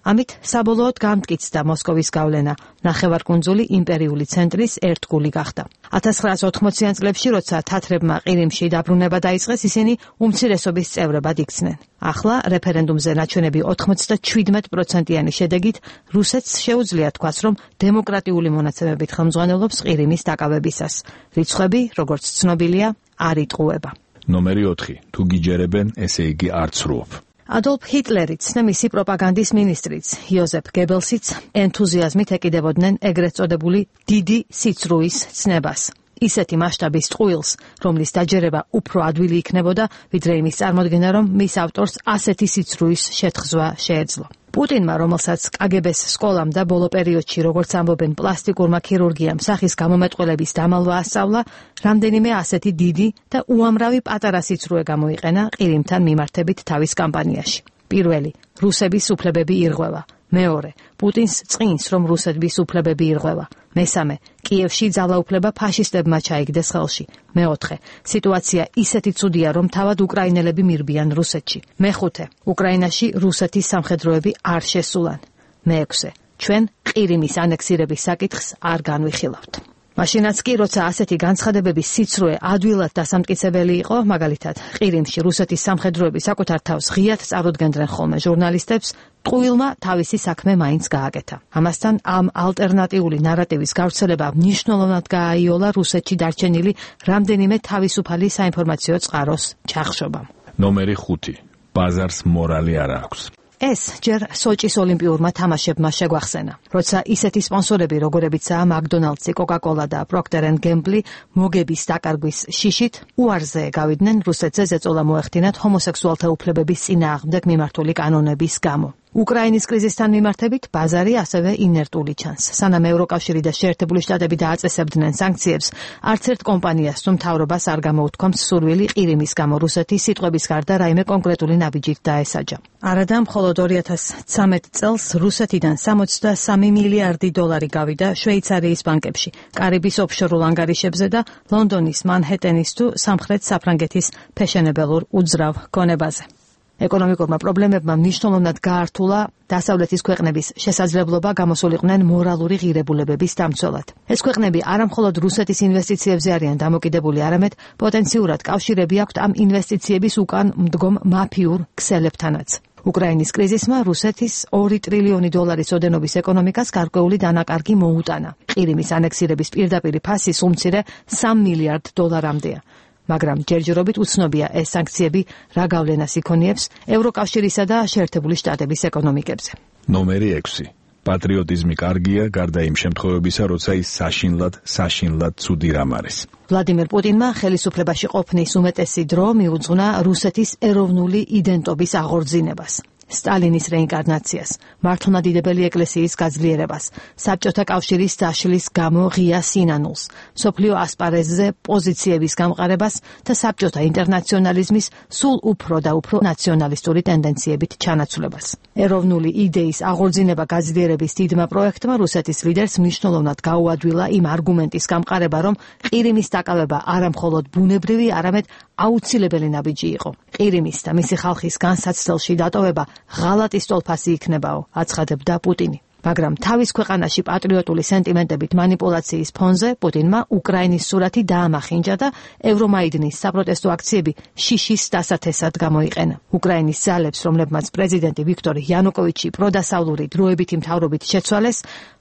ამით საბოლოოდ გამტკიცდა მოსკოვის გავლენა, ნახევარკუნძული იმპერიული ცენტრის ერთგული გახდა. ათას ცხრაასი ოთხმოციან წლებში, როცა თათრებმა ყირიმში დაბრუნება დაიწყეს, ისინი უმცირესობის წევრებად იქცნენ. ახლა რეფერენდუმზე ნაჩვენები ოთხმოცდაჩვიდმეტ პროცენტიანი შედეგით რუსეთს შეუძლია თქვას, რომ დემოკრატიული მონაცემებით ხელმძღვანელობს ყირიმის დაკავებისას. რიცხვები, როგორც ცნობილია, არ იტყუება. ნომერი ოთხი. თუ გიჯერებენ, ესე იგი არ ცრუობ. ადოლფ ჰიტლერიც და მისი პროპაგანდის მინისტრიც იოზეფ გებელსიც ენთუზიაზმით ეკიდებოდნენ ეგრეთ წოდებული დიდი სიცრუის ცნებას. ისეთი მასშტაბის ტყუილს, რომლის დაჯერება უფრო ადვილი იქნებოდა, ვიდრე იმის წარმოდგენა, რომ მის ავტორს ასეთი სიცრუის შეთხზვა შეეძლო. პუტინმა, რომელსაც კაგებეს სკოლამ და ბოლო პერიოდში, როგორც ამბობენ, პლასტიკურმა ქირურგიამ სახის გამომეტყველების დამალვა ასწავლა, რამდენიმე ასეთი დიდი და უამრავი პატარა სიცრუე გამოიყენა ყირიმთან მიმართებით თავის კამპანიაში. პირველი, რუსების უფლებები ირღვევა. მეორე, პუტინს წინს, რომ რუსების უფლებები ირღვევა. მესამე, კიევში ძალაუფლება ფაშისტებმა ჩაიგდეს ხელში. მეოთხე, სიტუაცია ისეთი ცუდია, რომ თავად უკრაინელები მირბიან რუსეთში. მეხუთე, უკრაინაში რუსეთის სამხედროები არ შესულან. მეექვსე, ჩვენ ყირიმის ანექსირების საკითხს არ განვიხილავთ. მაშინაც კი, როცა ასეთი განცხადებების სიცრუე ადვილად დასამტკიცებელი იყო, მაგალითად, ყირიმში რუსეთის სამხედროები საკუთარ თავს ღიად წარუდგენდნენ ხოლმე ჟურნალისტებს, ტყუილმა თავისი საქმე მაინც გააკეთა. ამასთან ამ ალტერნატიული ნარატივის გავრცელება მნიშვნელოვნად გააიოლა რუსეთში დარჩენილი რამდენიმე თავისუფალი საინფორმაციო წყაროს ჩახშობამ. ნომერი ხუთი. ბაზარს მორალი არ აქვს. ეს ჯერ სოჭის ოლიმპიურმა თამაშებმა შეგვახსენა, როცა ისეთი სპონსორები, როგორებიცაა მაკდონალდსი, კოკა-კოლა და პროქტერ ენდ გემბლი მოგების დაკარგვის შიშით უარზე გავიდნენ რუსეთზე ზეწოლა მოეხდინათ ჰომოსექსუალთა უფლებების წინააღმდეგ მიმართული კანონების გამო. უკრაინის კრიზისთან მიმართებით ბაზარი ასევე ინერტული ჩანს. სანამ ევროკავშირი და შეერთებული შტატები დააწესებდნენ სანქციებს, არც ერთ კომპანიას თუ მთავრობას არ გამოუთქვამს სურვილი ყირიმის გამო რუსეთის სიტყვების გარდა რაიმე კონკრეტული ნაბიჯით დაესაჯა. არადა მხოლოდ ორი ათას ცხრამეტ წელს რუსეთიდან სამოცდასამი მილიარდი დოლარი გავიდა შვეიცარიის ბანკებში, კარიბის ოფშორულ ანგარიშებზე და ლონდონის მანჰეტენის თუ სამხრეთ საფრანგეთის ფეშენებელურ უძრავ გონებაზე. ეკონომიკურმა პრობლემებმა მნიშვნელოვნად გაართულა დასავლეთის ქვეყნების შესაძლებლობა გამოსულიყვნენ მორალური ღირებულებების დამცველად. ეს ქვეყნები არა მხოლოდ რუსეთის ინვესტიციებზე არიან დამოკიდებული, არამედ პოტენციურად კავშირები აქვთ ამ ინვესტიციების უკან მდგომ მაფიურ ქსელებთანაც. უკრაინის კრიზისმა რუსეთის ორი ტრილიონი დოლარის ოდენობის ეკონომიკას გარკვეული დანაკარგი მოუტანა. ყირიმის ანექსირების პირდაპირი ფასი სულ მცირე სამ მილიარდ დოლარამდეა. მაგრამ ჯერჯერობით უცნობია ეს სანქციები რა გავლენას იქონიებს ევროკავშირისა და შეერთებული შტატების ეკონომიკებზე. ნომერი ექვსი. პატრიოტიზმი კარგია, გარდა იმ შემთხვევებისა, როცა ის საშინლად, საშინლად ცუდი რამ არის. ვლადიმერ პუტინმა ხელისუფლებაში ყოფნის უმეტესი დრო მიუძღვნა რუსეთის ეროვნული იდენტობის აღორძინებას. სტალინის რეინკარნაციას, მართლმადიდებელი ეკლესიის გაძლიერებას, საბჭოთა კავშირის დაშლის გამო ღია სინანულს, მსოფლიო ასპარეზზე პოზიციების გამყარებას და საბჭოთა ინტერნაციონალიზმის სულ უფრო და უფრო ნაციონალისტური ტენდენციებით ჩანაცვლებას. ეროვნული იდეის აღორძინება გაძლიერების დიდმა პროექტმა რუსეთის ლიდერს მნიშვნელოვნად გაუადვილა იმ არგუმენტის გამყარება, რომ ყირიმის დაკავება არა მხოლოდ ბუნებრივი, არამედ აუცილებელი ნაბიჯი იყო. ყირიმის და მისი ხალხის განსაცდელში დატოვება ღალატის ტოლფასი იქნებაო, აცხადებდა პუტინი. მაგრამ თავის ქვეყანაში პატრიოტული სენტიმენტებით манипуляციის ფონზე პუტინმა უკრაინის სურათი დაამახინჯა და ევრომაიდნის საპროტესტო აქციები შიშის დასათესად გამოიყენა. უკრაინის ძალებს, რომლებმაც პრეზიდენტი ვიქტორ იანუკოვიჩი პროდასავლური დროებითი მთავრობით შეცვალეს,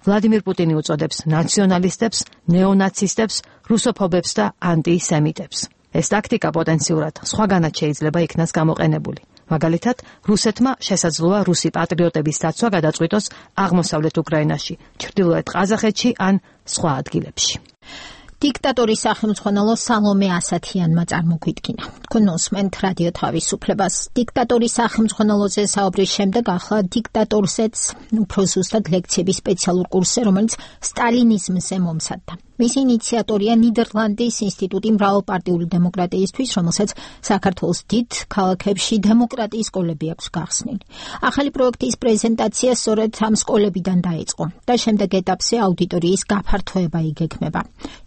ვლადიმირ პუტინი უწოდებს ნაციონალისტებს, ნეონაცისტებს, რუსოფობებს და ანტისემიტებს. ეს ტაქტიკა პოტენციურად სხვაგანაც შეიძლება იქნას გამოყენებული. მაგალითად, რუსეთმა შესაძლოა რუსი პატრიოტების დაცვა გადაწყვიტოს აღმოსავლეთ უკრაინაში, ჩრდილოეთ ყაზახეთში ან სხვა ადგილებში. დიქტატორის სახელმძღვანელო სალომე ასათიანმა წარმოგვიდგინა. თქვენ უსმენთ რადიო თავისუფლებას. დიქტატორის სახელმძღვანელოზე საუბრის შემდეგ ახლა დიქტატორზეც უფრო ზუსტად ლექციების სპეციალურ კურსზე, რომელიც სტალინიზმზე მომსადდა. მისი ინიციატორია ნიდერლანდის ინსტიტუტი მრავალპარტიული დემოკრატიისთვის, რომელსაც საქართველოს დიდ ქალაქებში დემოკრატიის სკოლები აქვს გახსნილი. ახალი პროექტის პრეზენტაცია სწორედ ამ სკოლებიდან დაიწყო და შემდეგ ეტაპზე აუდიტორიის გაფართოება იგეგმება.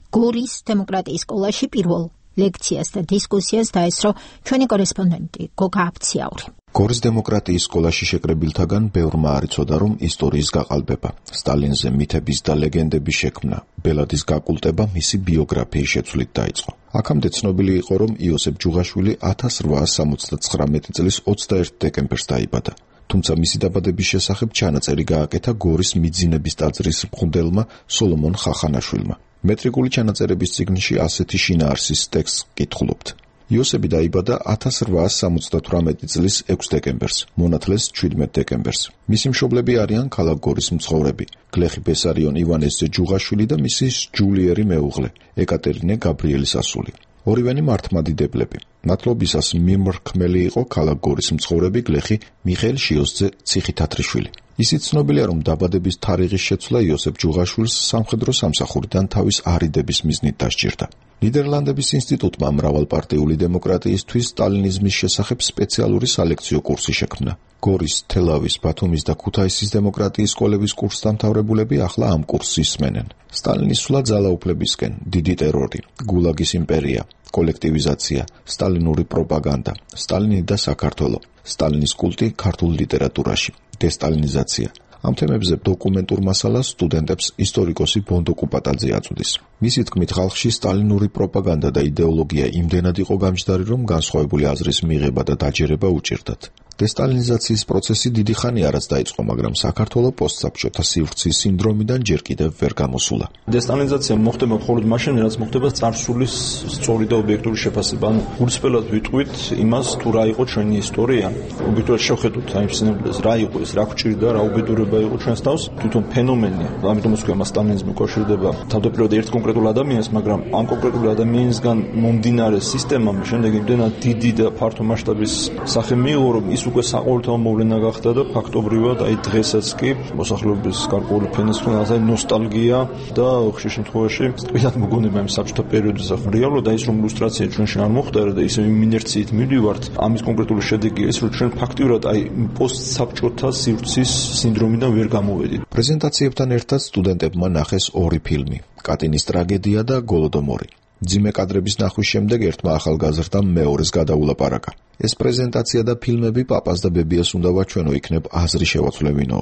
გორის დემოკრატიის სკოლაში პირველ ლექციას და დისკუსიას დაესწრო ჩვენი კორესპონდენტი გოგა აფციაური. გორის დემოკრატიის სკოლაში შეკრებილთაგან ბევრმა არ იცოდა, რომ ისტორიის გაყალბება, სტალინზე მითების და ლეგენდების შექმნა, ბელადის გაკულტება მისი ბიოგრაფიის შეცვლით დაიწყო. აქამდე ცნობილი იყო, რომ იოსებ ჯუღაშვილი ათას რვაას სამოცდათხრამეტი წლის ოცდაერთი დეკემბერს დაიბადა. თუმცა მისი დაბადების შესახებ ჩანაწერი გააკეთა გორის მიძინების ტაძრის მღვდელმა სოლომონ ხახანაშვილმა. მეტრიკული ჩანაწერების წიგნში ასეთი შინაარსის ტექსტს კითხულობთ. იოსები დაიბადა ათას რვაას სამოცდათვრამეტი წლის ექვსი დეკემბერს, მონათლეს ჩვიდმეტი დეკემბერს. მისი მშობლები არიან ქალაქ გორის მცხოვრები, გლეხი ბესარიონ ივანეს ჯუღაშვილი და მისი ჯულიერი მეუღლე, ეკატერინე გაბრიელის ასული. ორივენი მართლმადიდებლები. მათლობისას მიმრქმელი იყო ქალაქ გორის მცხოვრები გლეხი მიხეილ შიოსძე ციხითათრიშვილი. ისიც ცნობილია, რომ დაბადების თარიღის შეცვლა იოსებ ჯუღაშვილს სამხედრო სამსახურიდან თავის არიდების მიზნით დასჭირდა. ნიდერლანდების ინსტიტუტმა მრავალპარტიული დემოკრატიისთვის სტალინიზმის შესახებ სპეციალური სალექციო კურსი შექმნა. გორის, თელავის, ბათუმის და ქუთაისის დემოკრატიის სკოლების კურსდამთავრებულები ახლა ამ კურსს ისმენენ. სტალინის სვლა ძალაუფლებისკენ, დიდი ტერორი, გულაგის იმპერია, კოლექტივიზაცია, სტალინური პროპაგანდა, სტალინი და საქართველო, სტალინის კულტი ქართულ ლიტერატურაში, დესტალინიზაცია. ამ თემებზე დოკუმენტურ მასალას სტუდენტებს ისტორიკოსი ბონდო კუპატაძე აწვდის. მისი თქმით, ხალხში სტალინური პროპაგანდა და იდეოლოგია იმდენად იყო გამჯდარი, რომ განსხვავებული აზრის მიღება და დაჯერება უჭირდათ. დესტალინიზაციის პროცესი დიდი ხანი არაც დაიწყო, მაგრამ საქართველოს პოსტსაბჭოთა სივრცის სინდრომიდან ჯერ კიდევ ვერ გამოსულა. დესტალინიზაცია მოხდება მხოლოდ მაშინ, რაც მოხდება წარსულის სწორი და ობიექტური შეფასება. ანუ გულწრფელად ვიტყვით იმას, თუ რა იყო ჩვენი ისტორია. ობიექტურად შევხედოთ აი სინამდვილეს, რა იყო ეს, რა გვჭირდა, რა უბედურება იყო ჩვენს თავს, თვითონ ფენომენი. ამიტომ ვთქვი, მას სტალინიზმი უკავშირდება თავდაპირველად ერთ კონკრეტულ ადამიანს, მაგრამ ამ კონკრეტულ ადამიანისგან მომდინარე სისტემამ შემდეგ იმდენად დიდი და ფართო მასშტაბის სახე მიიღო, რომ ის უკვე საყოველთაო მოვლენა გახდა და ფაქტობრივად აი დღესაც კი მოსახლეობის გარკვეული ფენის ხნაზე ნოსტალგია და ხშირ შემთხვევაში თვითონ მოგონება იმ საბჭოთა პერიოდზე. რეალურად აი ეს რომ ილუსტრაცია ჩვენში არ მოხდარა და ისე იმ ინერციით მივდივართ, ამის კონკრეტული შედეგი ის რომ ჩვენ ფაქტიურად აი პოსტსაბჭოთა სივრცის სინდრომიდან ვერ გამოვედით. პრეზენტაციებთან ერთად სტუდენტებმა ნახეს ორი ფილმი: კატინის ტრაგედია და გოლოდომორი. ძიმე კადრების ნახვის შემდეგ ერთმა ახალგაზრდამ მეორეს გადაულაპარაკა. ეს პრეზენტაცია და ფილმები პაპას და ბებიას უნდა ვაჩვენო, იქნებ აზრი შევაცვლევინო.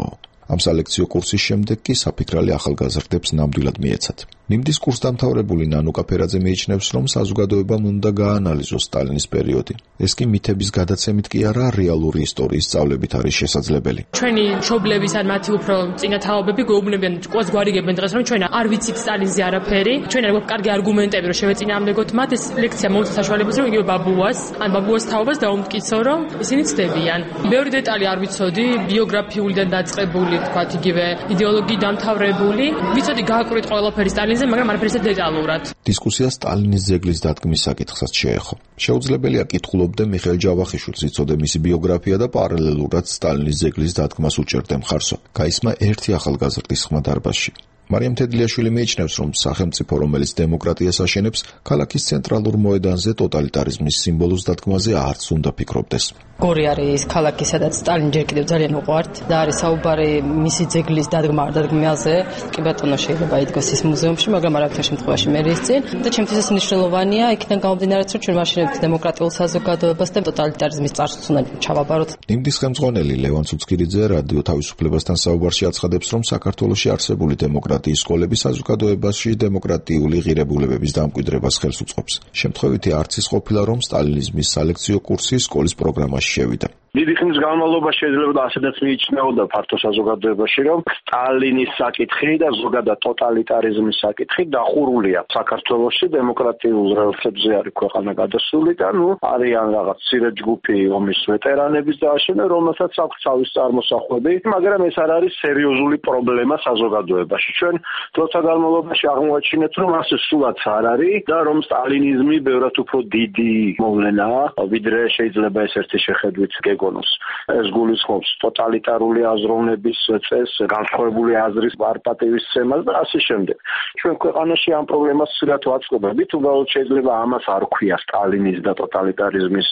ამ სალექციო კურსის შემდეგ კი საფიქრალი ახალგაზრდებს ნამდვილად მიეცათ. ნიმდის კურსდამთავრებული ნანუკა ფერაძე მიიჩნევს, რომ საზოგადოებამ უნდა გაანალიზოს სტალინის პერიოდი. ეს კი მითების გადაცემით კი არა, რეალური ისტორიის სწავლებით არის შესაძლებელი. ჩვენი მშობლების ან მათი უფრო წინა თაობები გვეუბნებიან, ყოს გვარიგებენ დღეს, რომ ჩვენ არ ვიცით სტალინზე არაფერი, ჩვენ არ გვაქვს კარგი არგუმენტები, რომ შევეწინააღმდეგოთ მათ. ეს ლექცია მომწონს საშუალებას, რომ იგივე ბაბუას ან ბაბუას თაობას დაუმტკიცო, რომ ისინი ცდებიან. ბევრი დეტალი არ ვიცოდი, ბიოგრაფიულიდან დაწყებული, თქვათ იგივე იდეოლოგიით დამთავრებული. ვიცოდი გააკვრით ყველაფერი სტალინზე, მაგრამ არაფერი ისე დეტალურად. დისკუსია სტალინის ძეგლის დადგმის საკითხსაც შეეხო. შეუძლებელია კითხულობდე მიხეილ ჯავახიშვილს, იცოდე მისი ბიოგრაფია და პარალელურად სტალინის ძეგლის დადგმას უჭერდე მხარსო. გაისმა ერთი ახალგაზრდის ხმა დარბაზში. მარიამ თედლიაშვილი მიიჩნევს, რომ სახელმწიფო, რომელიც დემოკრატიას აშენებს, ქალაქის ცენტრალურ მოედანზე ტოტალიტარიზმის სიმბოლოს დადგმაზე არც უნდა ფიქრობდეს. გორი არის ქალაქი, სადაც სტალინი ჯერ კიდევ ძალიან უყვართ და არის საუბარი მისი ძეგლის დადგმა არ დადგმაზე. კი ბატონო, შეიძლება იდგოს ის მუზეუმში, მაგრამ არავითარ შემთხვევაში მე ის წინ და ჩემთვის ეს მნიშვნელოვანია, იქიდან გამომდინარე, რომ ჩვენ ვაშენებთ დემოკრატიულ საზოგადოებას და ტოტალიტარიზმის წარსულს უნდა ჩავაბაროთ. ნიმდის ხელმძღვანელი ლევან ცუცკირიძე რადიო თავისუფლებასთან საუბარში აცხადებს, რომ საქართველოში არსებული დემოკრატიის სკოლები საზოგადოებაში დემოკრატიული ღირებულებების დამკვიდრებას ხელს უწყობს. შემთხვევითი არც ის ყოფილა, რომ სტალინიზმის სალექციო კურსი სკოლის პროგრამაში შევიდა. დიდი ხნის განმავლობაში შეიძლება ასეთაც მიიჩნეოდა ფართო საზოგადოებაში, რომ სტალინის საკითხი და ზოგადად ტოტალიტარიზმის საკითხი დახურულია საქართველოში, დემოკრატიულ რელსებზე არის ქვეყანა გადასული და ნუ არიან რაღაც მცირე ჯგუფი ომის ვეტერანების დააშენა, რომელსაც აქვს თავის წარმოსახვები, მაგრამ ეს არ არის სერიოზული პრობლემა საზოგადოებაში. ჩვენ დროთა განმავლობაში აღმოაჩინეთ, რომ ასე სულაც არ არის და რომ სტალინიზმი ბევრად უფრო დიდი მოვლენაა, ვიდრე შეიძლება ეს ერთი შეხედვით გეგო ეს გულისხმობს ტოტალიტარული აზროვნების წესს, განსხვავებული აზრის პარტიისცემას და ასე შემდეგ. ჩვენ ქვეყანაში ამ პრობლემას სრულად ვაწყობებით, უბრალოდ შეიძლება ამას არ ქვია სტალინის და ტოტალიტარიზმის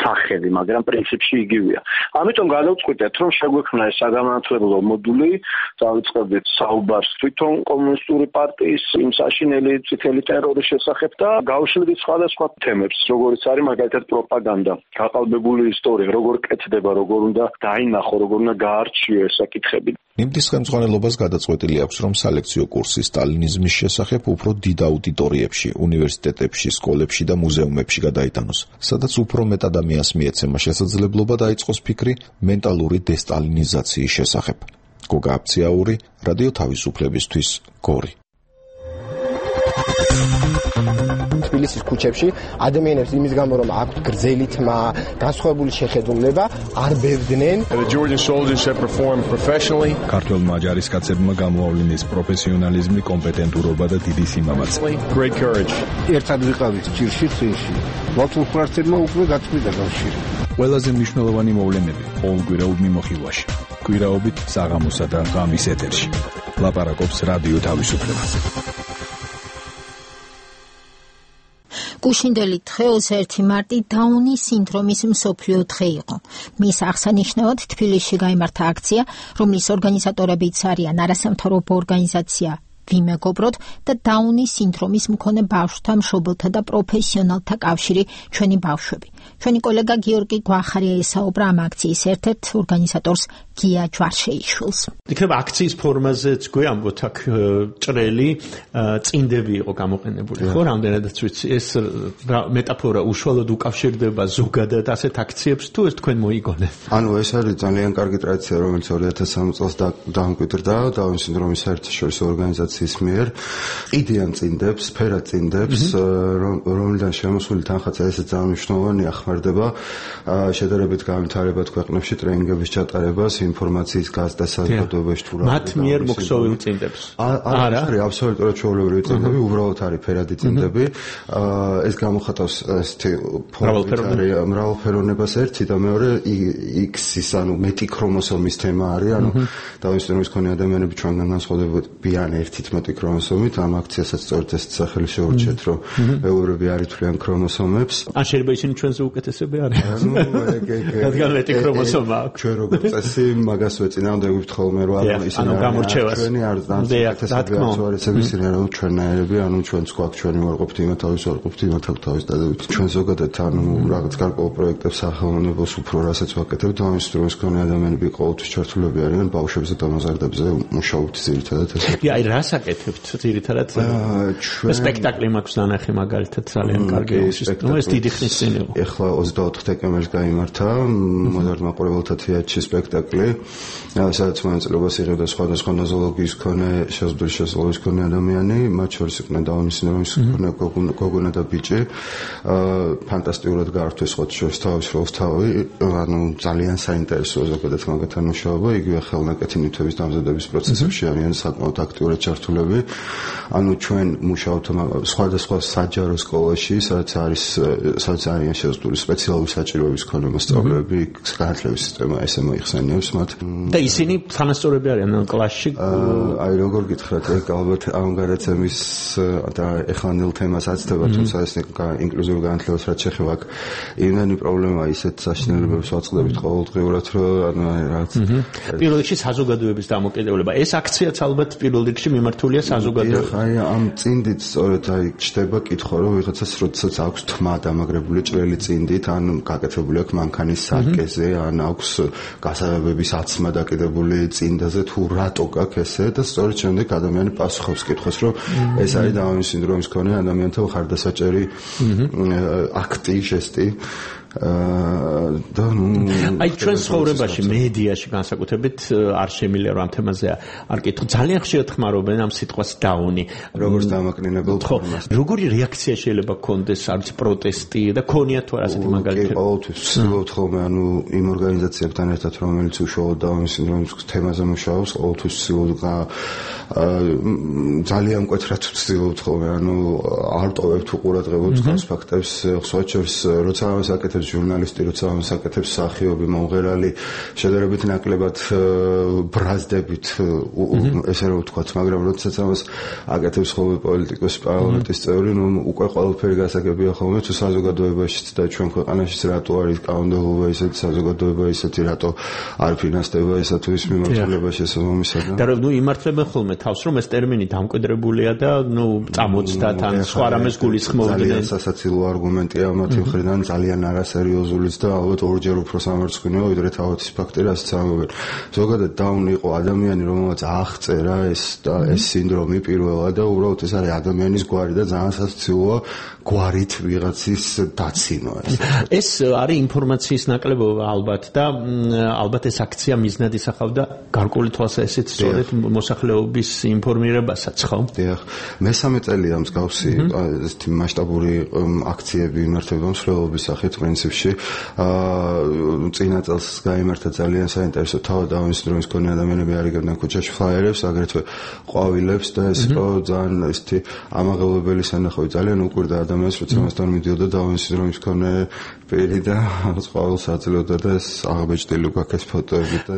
სახელი, მაგრამ პრინციპში იგივეა. ამიტომ გადავწყვიტეთ, რომ შეგვექმნა ეს საგანმანათლებლო მოდული, დავიწყებდით საუბარს თვითონ კომუნისტური პარტიის იმ საშინელი წითელი ტერორის შესახებ და გავშლით სხვადასხვა თემებს, როგორიც არის მაგალითად პროპაგანდა, გაყალბებული ისტორია, როგორ კეთდება, როგორ უნდა დაინახო, როგორ უნდა გაარჩიო ეს საკითხები. ნიმდის ხელმძღვანელობას გადაწყვეტილი აქვს, რომ სალექციო კურსი სტალინიზმის შესახებ უფრო დიდ აუდიტორიებში, უნივერსიტეტებში, სკოლებში და მუზეუმებში გადაიტანოს, სადაც უფრო მეტ ადამიანს მიეცემა შესაძლებლობა დაიწყოს ფიქრი მენტალური დესტალინიზაციის შესახებ. გოგა აფციაური, რადიო თავისუფლებისთვის, გორი. თბილისის ქუჩებში ადამიანებს იმის გამო რომ აქვთ გრძელი თმა, განსხვავებული შეხედულება, არ ბევდნენ. ქართველმა ჯარისკაცებმა გამოავლინეს პროფესიონალიზმი, კომპეტენტურობა და დიდი სიმამაცე. ერთად ვიყავით ჭირში, წინში. ვაუთუხრართებმა უკვე გაწყვიტა კავშირი. ყველაზე მნიშვნელოვანი მოვლენები ყოველკვირეულ მიმოხილვაში. კვირაობით საღამოსა და ღამის ეთერში. ლაპარაკობს რადიო თავისუფლება. გუშინდელი დღე ოცდაერთი მარტი დაუნის სინდრომის მსოფლიო დღე იყო. მის აღსანიშნავად თბილისში გაიმართა აქცია, რომლის ორგანიზატორებიც არიან არასამთავრობო ორგანიზაცია ვიმეგობროთ და დაუნის სინდრომის მქონე ბავშვთა მშობელთა და პროფესიონალთა კავშირი ჩვენი ბავშვები. ჩვენი კოლეგა გიორგი გვახარია ესაუბრა ამ აქციის ერთ-ერთ ორგანიზატორს გია ჯვარშეიშვილს. იქნება აქციის ფორმაზეც გვამბოთ აქ ჭრელი წინდები იყო გამოყენებული, ხო, რამდენადაც ვიცი, ეს მეტაფორა უშუალოდ უკავშირდება ზოგადად ასეთ აქციებს თუ ეს თქვენ მოიგონეთ? ანუ ეს არის ძალიან კარგი ტრადიცია, რომელიც ორი ათას სამი წელს დამკვიდრდა დაუნის სინდრომის საერთაშორისო ორგანიზაციის მიერ. ყიდიან წინდებს, სფერა წინდებს, რომლიდან შემოსული თანხმობა ესეც ძალიან მნიშვნელოვანია, ხმარდება შედარებით განვითარებად ქვეყნებში ტრენინგების ჩატარებას, ინფორმაციის გაზრდა საზოგადოებაში თუ რა. მათ მიერ მოქსოვილ წინდებს. არა, არის აბსოლუტურად ჩვეულებრივი წინდები, უბრალოდ არის ფერადი წინდები. ეს გამოხატავს ესეთი მრავალფეროვნებას ერთი და მეორე X-ის, ანუ მეტი ქრომოსომის თემა არის, ანუ დაუნის სინდრომის მქონე ადამიანები ჩვენგან განსხვავდებიან ერთით მეტი ქრომოსომით, ამ აქციასაც სწორედ ეს სახელი შეურჩიეთ, რომ მეუღლეები არ ითვლიან ქრომოსომებს. ან შეიძლება ისინი ჩვენზე უკეთესები არიან. რადგან მეტი ქრომოსომა აქვს. ჩვენ როგორც წესი მაგას ვეწინააღმდეგებთ ხოლმე, რომ ისინი ჩვენი არ უკეთესები არც ისინი რომ ჩვენნაირები, ანუ ჩვენც გვაქვს ჩვენი ვარყოფთ, იმათ თავის ვარყოფთ, იმათ აქვს თავის დადებით. ჩვენ ზოგადად ანუ რაღაც გარკვეულ პროექტებს სახელმწიფოს უფრო რასაც ვაკეთებთ, დაუნის სინდრომის მქონე ადამიანები ყოველთვის ჩართულები არიან, ბავშვებზე და დამზადებზე მუშაობთ ძირითადად ეს. აი რას აკეთებთ ძირითადად? სპექტაკლი მაქვს დანახი მაგალითად ძალიან კარგი სისტემა, ეს დიდი ხნის წინ იყო. ეხლა ოცდაოთხ დეკემბერს გაიმართა მოზარდ მაყურებელთა თეატრში სპექტაკლი, სადაც მონაწილეობას იღებდა სხვადასხვა ნოზოლოგიის მქონე, შესაძლებელი შესაძლებლობის მქონე ადამიანი, მათ შორის იყვნენ დაუნის სინდრომის მქონე გოგონა და ბიჭი. ფანტასტიკურად გაართვეს სხვა შორის თავის როლს თავი, ანუ ძალიან საინტერესოა ზოგადად მაგათთან მუშაობა, იგივე ხელნაკეთი ნივთების დამზადების პროცესებში არიან საკმაოდ აქტიურად ჩართულები. ანუ ჩვენ მუშაობთ სხვადასხვა საჯარო სკოლაში, სადაც არის სადაც არიან შესაძლებელი სპეციალური საჭიროების მქონე მასწავლებლები, განათლების სისტემა ესე მოიხსენიებს, მათ. და ისინი თანასწორები არიან კლასში? აი როგორ გითხრათ, ეგ ალბათ ამ გადაცემის და ეხლანელ თემას აცდება, თუმცა ეს ინკლუზიურ განათლებას რაც შეეხება აქ იმდენი პრობლემაა ისეთ საშინელებებს ვაწყდებით ყოველდღიურად, რომ ანუ რაც პირველ რიგში საზოგადოების დამოკიდებულება. ეს აქციაც ალბათ პირველ რიგში მიმართულია საზოგადოებას. აი ამ წინდით სწორედ აი ჩდება კითხვა, რომ ვიღაცას როდესაც აქვს თმა დამაგრებული ჭრელი წინდით, ან გაკეთებული აქვს მანქანის სარკეზე, ან აქვს გასაღებების აცმა დაკიდებული წინდაზე, თუ რატო გაქვს ესე და სწორედ შემდეგ ადამიანი პასუხობს კითხვას, რომ ეს არის დაუნის სინდრომის მქონე ადამიანთა ხარდასაჭერი აქტი, ჟესტი. და აი ჩვენ ცხოვრებაში, მედიაში განსაკუთრებით არ შემიძლია რომ ამ თემაზე არ კითხო. ძალიან ხშირად ხმარობენ ამ სიტყვას დაუნი. როგორც დამაკნინებელ ფორმას. როგორი რეაქცია შეიძლება გქონდეს, არც პროტესტი და ქონია თუ არა ასეთი მაგალითები? ყოველთვის ვცდილობთ ხოლმე, ანუ იმ ორგანიზაციებთან ერთად, რომელიც უშუალოდ დაუნის სინდრომის თემაზე მუშაობს, ყოველთვის ვცდილობთ ძალიან მკვეთრად ვცდილობთ ხოლმე, ანუ არ ტოვებთ უყურადღებოთ თავს ფაქტებს, სხვა შორის როცა ამას აკეთებს ჟურნალისტი, როცა ამას აკეთებს მსახიობი, მომღერალი, შედარებით ნაკლებად ბრაზდებით, ესე რომ ვთქვათ, მაგრამ როდესაც ამას აკეთებს ხოლმე პოლიტიკოსი, პარლამენტის წევრი, ნუ უკვე ყველაფერი გასაგებია ხოლმე, თუ საზოგადოებაშიც და ჩვენ ქვეყანაშიც რატო არის კანონმდებლობა ისეთი, საზოგადოება ისეთი, რატო არ ფინანსდება ესა თუ ის მიმართულება შესაბამისად. და ნუ იმართებენ ხოლმე თავს, რომ ეს ტერმინი დამკვიდრებულია და ნუ წამოწდათ ან სხვა რამეს გულისხმობდნენ. ძალიან სასაცილო არგუმენტია მათი მხრიდან, ძალიან არასერიოზულიც და ალბათ ორჯერ უფრო სამარცხვინოა, ვიდრე თავად ის ფაქტი, რასაც ამბობენ. ზოგადად დაუნი იყო ადამიანი, რომელმაც აღწერა ეს და ეს სინდრომი პირველად და უბრალოდ ეს არის ადამიანის გვარი და ძალიან სასაცილოა გვარით ვიღაცის დაცინვა ეს. ეს არის ინფორმაციის ნაკლებობა ალბათ და ალბათ ეს აქცია მიზნად ისახავდა გარკვეული თვალსაზრისით სწორედ მოსახლეობის ინფორმირებასაც, ხო? დიახ. მესამე წელია მსგავსი ესეთი მასშტაბური აქციები იმართება მსვლელობის სახით პრინციპში. აა წინა წელს გაიმართა ძალიან საინტერესო თავად დაუნის სინდრომის მქონე ადამიანები არიგებდნენ ქუჩაში ფლაიერებს, აგრეთვე ყვავილებს და ეს იყო ძალიან ესეთი ამაღელვებელი სანახავი. ძალიან უყვირდა ადამიანს, როცა მასთან მიდიოდა დაუნის სინდრომის მქონე პირი და ყვავილს აძლევდა და ეს აღბეჭდილი გვაქვს ფოტოები და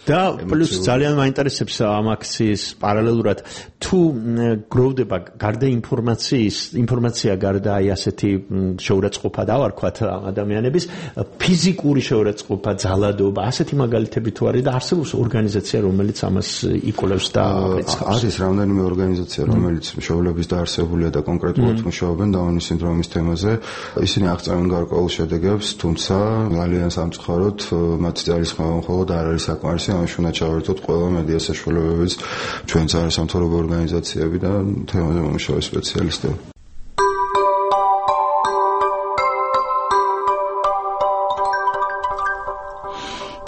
და პლუს ძალიან მაინტერესებს ამ აქციის პარალელურად თუ გროვდება გარდა ინფორმაციის, ინფორმაცია გარდა აი ასეთი შეურაცხყოფა დავარქვათ ადამიანების ფიზიკური შეურაცხყოფა, ძალადობა, ასეთი მაგალითები თუ არის და არსებობს ორგანიზაცია, რომელიც ამას იკვლევს და აკრიტიკავს. არის რამდენიმე ორგანიზაცია, რომელიც მშობლების დაარსებულია და კონკრეტულად მუშაობენ დაუნის სინდრომის თემაზე. ისინი აღწევენ გარკვეულ შედეგებს, თუმცა ძალიან სამწუხაროდ მათი ძალისხმევა მხოლოდ არ არის საკმარისი, ამაში უნდა ჩავერთოთ ყველა მედია საშუალებებიც, ჩვენც არასამთავრობო ორგანიზაციები და თემაზე მომუშავე სპეციალისტები.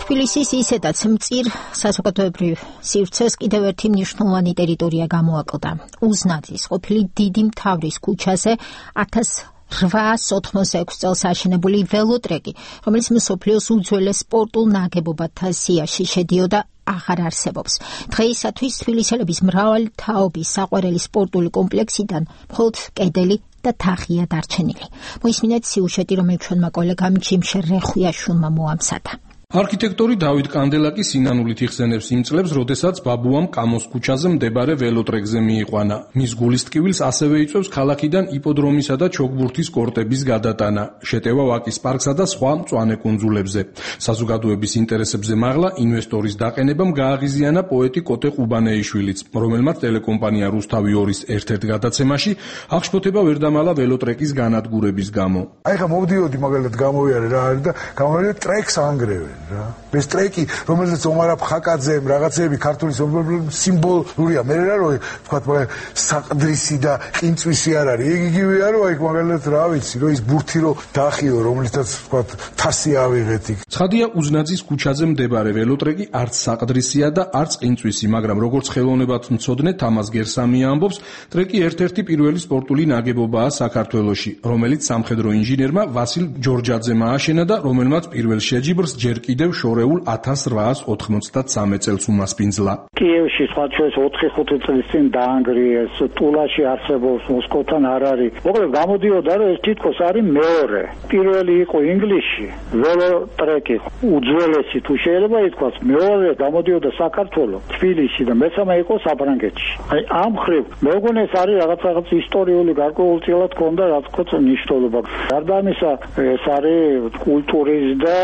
თბილისის ისედაც მწირ საზოგადოებრივ სივრცეს კიდევ ერთი მნიშვნელოვანი ტერიტორია გამოაკლდა. უზნაძის ყოფილი დიდი მთავრის ქუჩაზე ათას რვაასი ოთხმოცდაექვსი წელს აშენებული ველოტრეკი, რომელიც მსოფლიოს უძველეს სპორტულ ნაგებობათა სიაში შედიოდა, აღარ არსებობს. დღეისათვის თბილისელების მრავალი თაობის საყვარელი სპორტული კომპლექსიდან მხოლოდ კედელი და თაღია დარჩენილი. მოისმინეთ სიუჟეტი, რომელიც ჩვენმა კოლეგამ ჯიმშე რეხვიაშვილმა მოამზადა. არქიტექტორი დავით კანდელაკი სინანულით იხსენებს იმ წლებს, როდესაც ბაბუამ კამოს ქუჩაზე მდებარე ველოტრეკზე მიიყვანა. მის გულის ტკივილს ასევე იწვევს ქალაქიდან იპოდრომისა და ჩოგბურთის კორტების გადატანა, შეტევა ვაკის პარკსა და სხვა მწვანე კუნძულებზე. საზოგადოების ინტერესებზე მაღლა ინვესტორის დაყენებამ გააღიზიანა პოეტი კოტე ყუბანეიშვილიც, რომელმაც ტელეკომპანია რუსთავი ორის ერთ-ერთ გადაცემაში აღშფოთება ვერ დამალა ველოტრეკის განადგურების გამო. აი ხა მოვდიოდი მაგალითად გამოვიარე რა არის და გამოვიარე ტრეკს ანგრევენ. ეს ტრეკი, რომელზეც ომარ აფხაკაძემ რაღაცეები ქართული სიმბოლურია. მე რა რო ვთქვათ, მაგრამ საყდრისი და ყინწვისი არ არის. ეგ იგივე არა, აი მაგალითად რა ვიცი, რომ ის ბურთი რო დაახიო, რომელიცაც ვთქვათ, თასი ავიღეთ იქ. ცხადია, უზნაძის ქუჩაზე მდებარე ველოტრეკი არც საყდრისია და არც ყინწვისი, მაგრამ როგორც ხელოვნებად მცოდნე თამაზ გერსამია ამბობს, ტრეკი ერთ-ერთი პირველი სპორტული ნაგებობაა საქართველოში, რომელიც სამხედრო ინჟინერმა ვასილ ჯორჯაძემ ააშენა და რომელმაც პირველ შეჯიბრს ჯერ კიდევ კიდევ შორეულ ათას რვაას ოთხმოცდათსამი წელს უმასპინძლა. კიევში სხვა ჩვენს ოთხი ხუთი წლის წინ დაანგრიეს, ტულაში არსებობს, მოსკოვთან არ არის. მოკლედ გამოდიოდა რომ ეს თითქოს არის მეორე. პირველი იყო ინგლისში, ველოტრეკი, უძველესი თუ შეიძლება ითქვას, მეორე გამოდიოდა საქართველოს, თბილისში და მესამე იყო საფრანგეთში. აი ამ ხრივ მეგონი ეს არის რაღაც რაღაც ისტორიული გარკვეულწილად ქონდა რაც თქოს მნიშვნელობა. გარდა ამისა ეს არის კულტურის და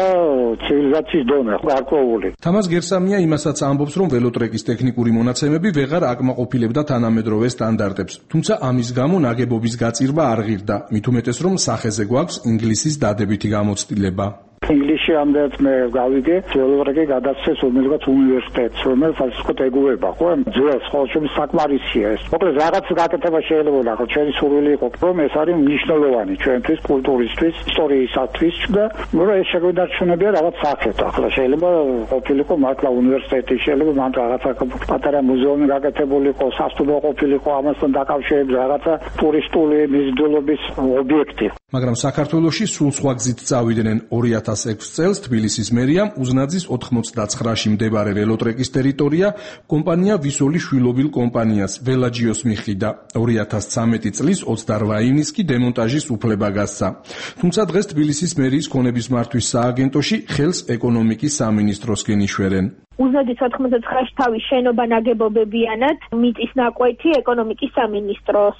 ცივილიზაციის დონე გარკვეული. თამაზ გერსამია იმასაც ამბობს, რომ ველოტრეკის ტექნიკური მონაცემები ვეღარ აკმაყოფილებდა თანამედროვე სტანდარტებს, თუმცა ამის გამო ნაგებობის გაწირვა არ ღირდა, მით უმეტეს რომ სახეზე გვაქვს ინგლისის დადებითი გამოცდილება. ინგლისში ამდენად მე გავიგე, ველოტრეკი გადასცეს რომელიღაც უნივერსიტეტს, რომელიც ასეთ ეგუება, ხო? ძველს ხოლმე საკმარისია ეს. მოკლედ რაღაც გაკეთება შეიძლება, ხო, ჩვენი სურვილი იყო, რომ ეს არის მნიშვნელოვანი ჩვენთვის, კულტურისთვის, ისტორიისათვის და რომ ეს შეგვიდარჩუნებია რაღაც სახეთ. ახლა შეიძლება ყოფილიყო მართლა უნივერსიტეტი, შეიძლება მან რაღაცა პატარა მუზეუმი გაკეთებულიყო, სასტუმრო ყოფილიყო, ამასთან დაკავშირებით რაღაცა ტურისტული მიზიდულობის ობიექტი. მაგრამ საქართველოში სულ სხვა გზით წავიდნენ. ორი ათას ექვსი წელს თბილისის მერიამ უზნაძის ოთხმოცდაცხრაში მდებარე ველოტრეკის ტერიტორია კომპანია ვისოლის შვილობილ კომპანიას ველაჯიოს მიხიდა. ორი ათას ცხრამეტი წლის ოცდარვა ივნისს კი დემონტაჟის უფლება გასცა. თუმცა დღეს თბილისის მერიის ქონების მართვის სააგენტოში ხელს ეკონომიკის სამინისტროსკენ იშვერენ. უზნაძის ოთხმოცდაცხრაში თავის შენობა ნაგებობებიანად მიწის ნაკვეთი ეკონომიკის სამინისტროს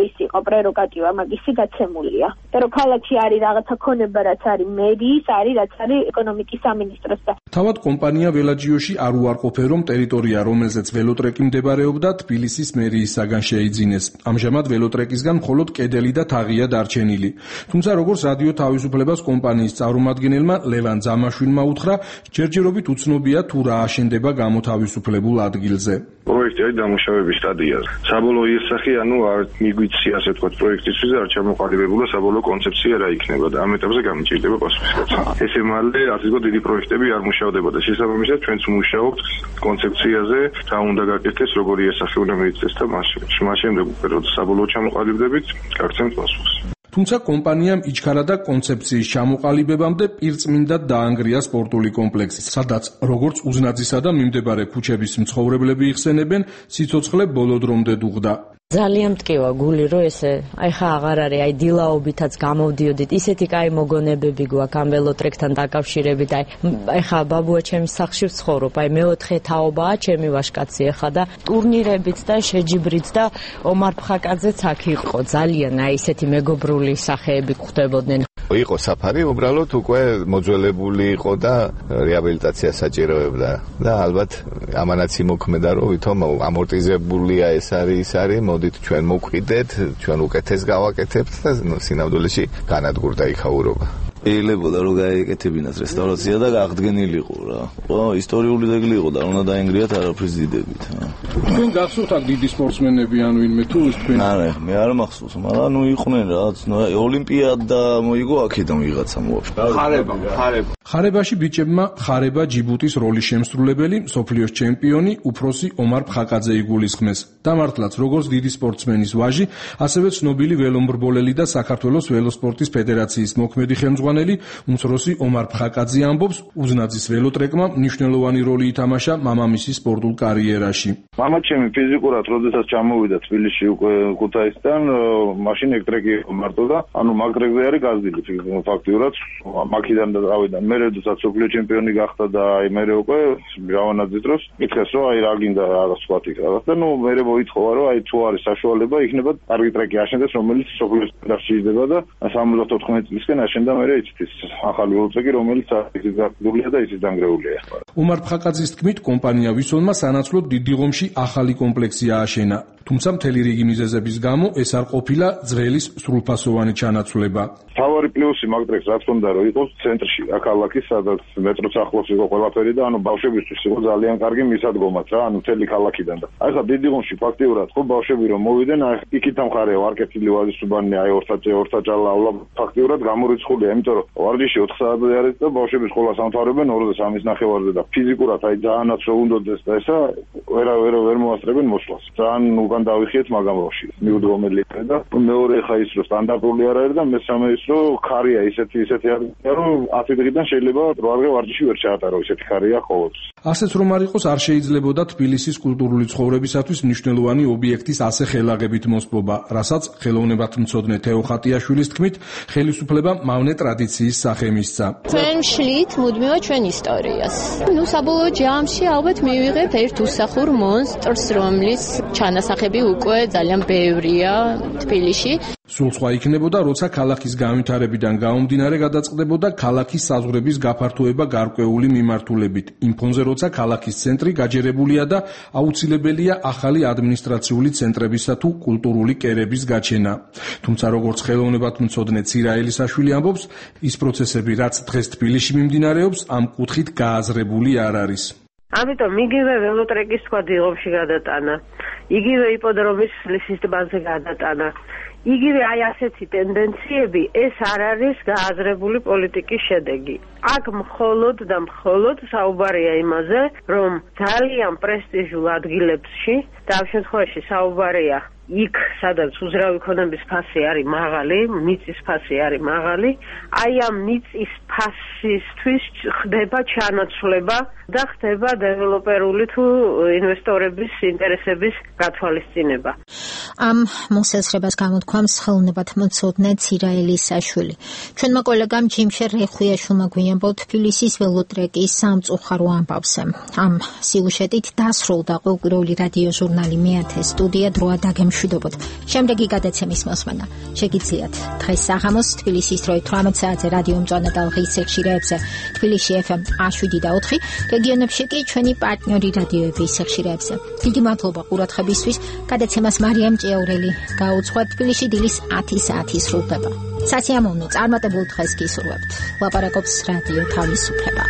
ის იყო პრეროგატივა მაგისი გაცემულია. და რომ ქალაქში არის რაღაცა ქონება რაც არის მერიის, არის რაც არის ეკონომიკის სამინისტროს და თავად კომპანია ველაჯიოში არ უარყოფენ რომ ტერიტორია რომელზეც ველოტრეკი მდებარეობდა თბილისის მერიისაგან შეიძინეს. ამჟამად ველოტრეკისგან მხოლოდ კედელი და თაღია დარჩენილი. თუმცა როგორც რადიო თავისუფლებას კომპანიის წარმომადგენელმა ლევან ძამაშვილმა უთხრა, ჯერჯერობით უცნობია თუ რა აშენდება გამოთავისუფლებულ ადგილზე. პროექტი არის დამუშავების სტადიაზე. საბოლოო იესახი, ანუ არ მიგვიცი ასე თქვა პროექტისთვის და არ ჩამოყალიბებულა საბოლოო კონცეფცია რა იქნება და ამ ეტაპზე გამიჭირდება პასუხისმგებლობა. ესე მალე ასე თქვა დიდი პროექტები არ მუშავდებოდა. შესაბამისად ჩვენც მუშაობთ კონცეფციაზე, რა უნდა გაკეთდეს, როგორი იესახი უნდა მიიწეს და მაშინ. მას შემდეგ უკვე როცა საბოლოო ჩამოყალიბდებით, გაგცემთ პასუხს. თუმცა კომპანიამ იჩქარა და კონცეფციის ჩამოყალიბებამდე პირწმინდად დაანგრია სპორტული კომპლექსი, სადაც როგორც უზნაძისა და მიმდებარე ქუჩების მცხოვრებლები იხსენებენ, სიცოცხლე ბოლო დრომდე დუღდა. ძალიან მტკივა გული რომ ესე აი ხა აღარ არის აი დილაობითაც გამოვდიოდით ისეთი კაი მოგონებები გვაქვს ამ ველოტრეკთან დაკავშირებით აი აი ხა ბაბუა ჩემის სახლში ვცხოვრობ აი მეოთხე თაობაა ჩემი ვაჟკაცი ხა და ტურნირებიც და შეჯიბრიც და ომარ ფხაკაძეც აქ იყო ძალიან აი ესეთი მეგობრული სახეები გვხვდებოდნენ იყო საფარი უბრალოდ უკვე მოძველებული იყო და რეაბილიტაცია საჭიროებდა და ალბათ ამანაც იმოქმედა რომ ვითომ ამორტიზებულია ეს არის ის არის მოდით ჩვენ მოვყიდეთ ჩვენ უკეთეს გავაკეთებთ და სინამდვილეში განადგურდა იქაურობა შეიძლება რომ გაეკეთებინათ რესტავრაცია და აღდგენილიყო რა. ხო, ისტორიული ძეგლი იყო და უნდა დაენგრიათ არაფრის დიდებით. თქვენ გახსოვთ აქ დიდი სპორტსმენები ან ვინმე თუ თქვენ? არა, მე არ მახსოვს, მაგრამ ნუ იყვნენ რაც, ნუ ოლიმპიადა მოიგო აქედან ვიღაცა მოაქვს. ხარება, ხარება. ხარებაში ბიჭებმა ხარება ჯიბუტის როლის შემსრულებელი, სოფლიოს ჩემპიონი, უფროსი ომარ ფხაკაძე იგულისხმეს. დამართლაც როგორც დიდი სპორტსმენის ვაჟი, ასევე ცნობილი ველომბრბოლელი და საქართველოს ველოსპორტის ფედერაციის მოქმედი ხელმძღვანელი უმცროსი ომარ ფხაკაძე ამბობს, უზნაძის ველოტრეკმა მნიშვნელოვანი როლი ითამაშა მამამისის სპორტულ კარიერაში. მამა ჩემი ფიზიკურად როდესაც ჩამოვიდა თბილისში უკვე ქუთაისიდან, მაშინ ეგ ტრეკი იყო მარტო და ანუ მაგ ტრეკზე არის გაზრდილი ფაქტიურად, მაქიდან და ავიდან მე როდესაც სოფლიო ჩემპიონი გახდა და აი მე უკვე ჟავანაძის დროს მითხეს რომ აი რა გინდა რაღაც სხვა თქოს და ნუ მე მოითხოვა რომ აი თუ არის საშუალება იქნება კარგი ტრეკი აშენდეს რომელიც სოფლიოს ფედერაციაში იდება და სამოცდაოთხ წლისკენ აშენდა მე ის ახალი ველოტრეკი რომელიც ისიც გაგდულია და ისიც დანგრეულია. ომარ ფხაკაძის თქმით კომპანია ვისოლმა სანაცვლოდ დიდი ღომში ახალი კომპლექსი ააშენა. თუმცა მთელი რიგი მიზეზების გამო ეს არ ყოფილა ძრელის სრულფასოვანი ჩანაცვლება. თავარი პლუსი მაგ ტრეკს რაც უნდა რომ იყოს ცენტრში, აქ-ქალაქის, სადაც მეტროც ახლოს იყო ყველაფერი და ანუ ბავშვებისთვის იყო ძალიან კარგი მისადგომაც რა, ანუ მთელი ქალაქიდან და აი ხა დიდი ღომში ფაქტიურად ხო ბავშვები რომ მოვიდნენ, აი იქით ამხარეო არკეთილი ვაზისუბანი, აი ორსაჭე, ორსაჭალა, ფაქტიურად გამორიცხულია, იმიტომ რომ ვარჯიში ოთხ საათზე არის და ბავშვები სკოლას ამთავრებენ ორ და სამის ნახევარზე და ფიზიკურად აი ძალიანაც რო უნდოდეს და ესა ვერ ვერ ვერ მოასწრებენ მოსვლას. ძალიან სხვაგან დავიხიეთ მაგამ ბავშვი მიუდგომელი და მეორე ხა ის რომ სტანდარტული არ არის და მესამე ის რომ ქარია ისეთი ისეთი არის რომ ათი დღიდან შეიძლება რვაგე ვარჯიში ვერ ჩაატარო ისეთი ქარია ყოველთვის ასეც რომ არ იყოს არ შეიძლებოდა თბილისის კულტურული ცხოვრებისათვის მნიშვნელოვანი ობიექტის ასე ხელაღებით მოსპობა რასაც ხელოვნებათმცოდნე თეო ხატიაშვილის თქმით ხელისუფლება მავნე ტრადიციის სახე მისცა ჩვენ შლით მუდმივად ჩვენ ისტორიას ნუ საბოლოო ჯამში ალბათ მივიღებთ ერთ უსახურ მონსტრს რომლის ჩანასახები უკვე ძალიან ბევრია თბილისში სულ სხვა იქნებოდა, როცა ქალაქის განვითარებიდან გამომდინარე გადაწყდებოდა ქალაქის საზღვრების გაფართოება გარკვეული მიმართულებით. იმ ფონზე, როცა ქალაქის ცენტრი გაჯერებულია და აუცილებელია ახალი ადმინისტრაციული ცენტრებისა თუ კულტურული კერების გაჩენა. თუმცა როგორც ხელოვნებათმცოდნე ცირა ელისაშვილი ამბობს, ის პროცესები, რაც დღეს თბილისში მიმდინარეობს, ამ კუთხით გააზრებული არ არის. ამიტომ იგივე ველოტრეკის სხვა დილომში გადატანა, იგივე იპოდრომის ლისის ტბაზე გადატანა. იგივე აი ასეთი ტენდენციები ეს არ არის გააზრებული პოლიტიკის შედეგი. აქ მხოლოდ და მხოლოდ საუბარია იმაზე, რომ ძალიან პრესტიჟულ ადგილებში და ამ შემთხვევაში საუბარია იქ, სადაც უძრავი ქონების ფასი არის მაღალი, მიწის ფასი არის მაღალი, აი ამ მიწის ფასისთვის ხდება ჩანაცვლება და ხდება დეველოპერული თუ ინვესტორების ინტერესების გათვალისწინება. ამ მოსაზრებას გამოთქვამს ხელოვნებათმცოდნე ცირა ელისაშვილი. ჩვენმა კოლეგამ ჯიმშერ რეხვიაშვილმა გვიამბო თბილისის ველოტრეკის სამწუხარო ამბავზე. ამ სიუჟეტით დასრულდა ყოველკვირეული რადიო ჟურნალი მეათე სტუდია დროა დაგემშვიდობოთ. შემდეგი გადაცემის მოსმენა შეგიძლიათ დღეს საღამოს თბილისის დროით თვრამეტ საათზე რადიო მწვანე და ღის ეხშირეებზე თბილისში ეფ ემ შვიდი და ოთხი, რეგიონებში კი ჩვენი პარტნიორი რადიოების ეხშირეებზე. დიდი მადლობა ყურადღებისთვის. გადაცემას მარიამ ჭიაურელი გაუძღვა. თბილისში დილის ათი საათი სრულდება. სასიამოვნო წარმატებულ დღეს გისურვებთ. ლაპარაკობს რადიო თავისუფლება.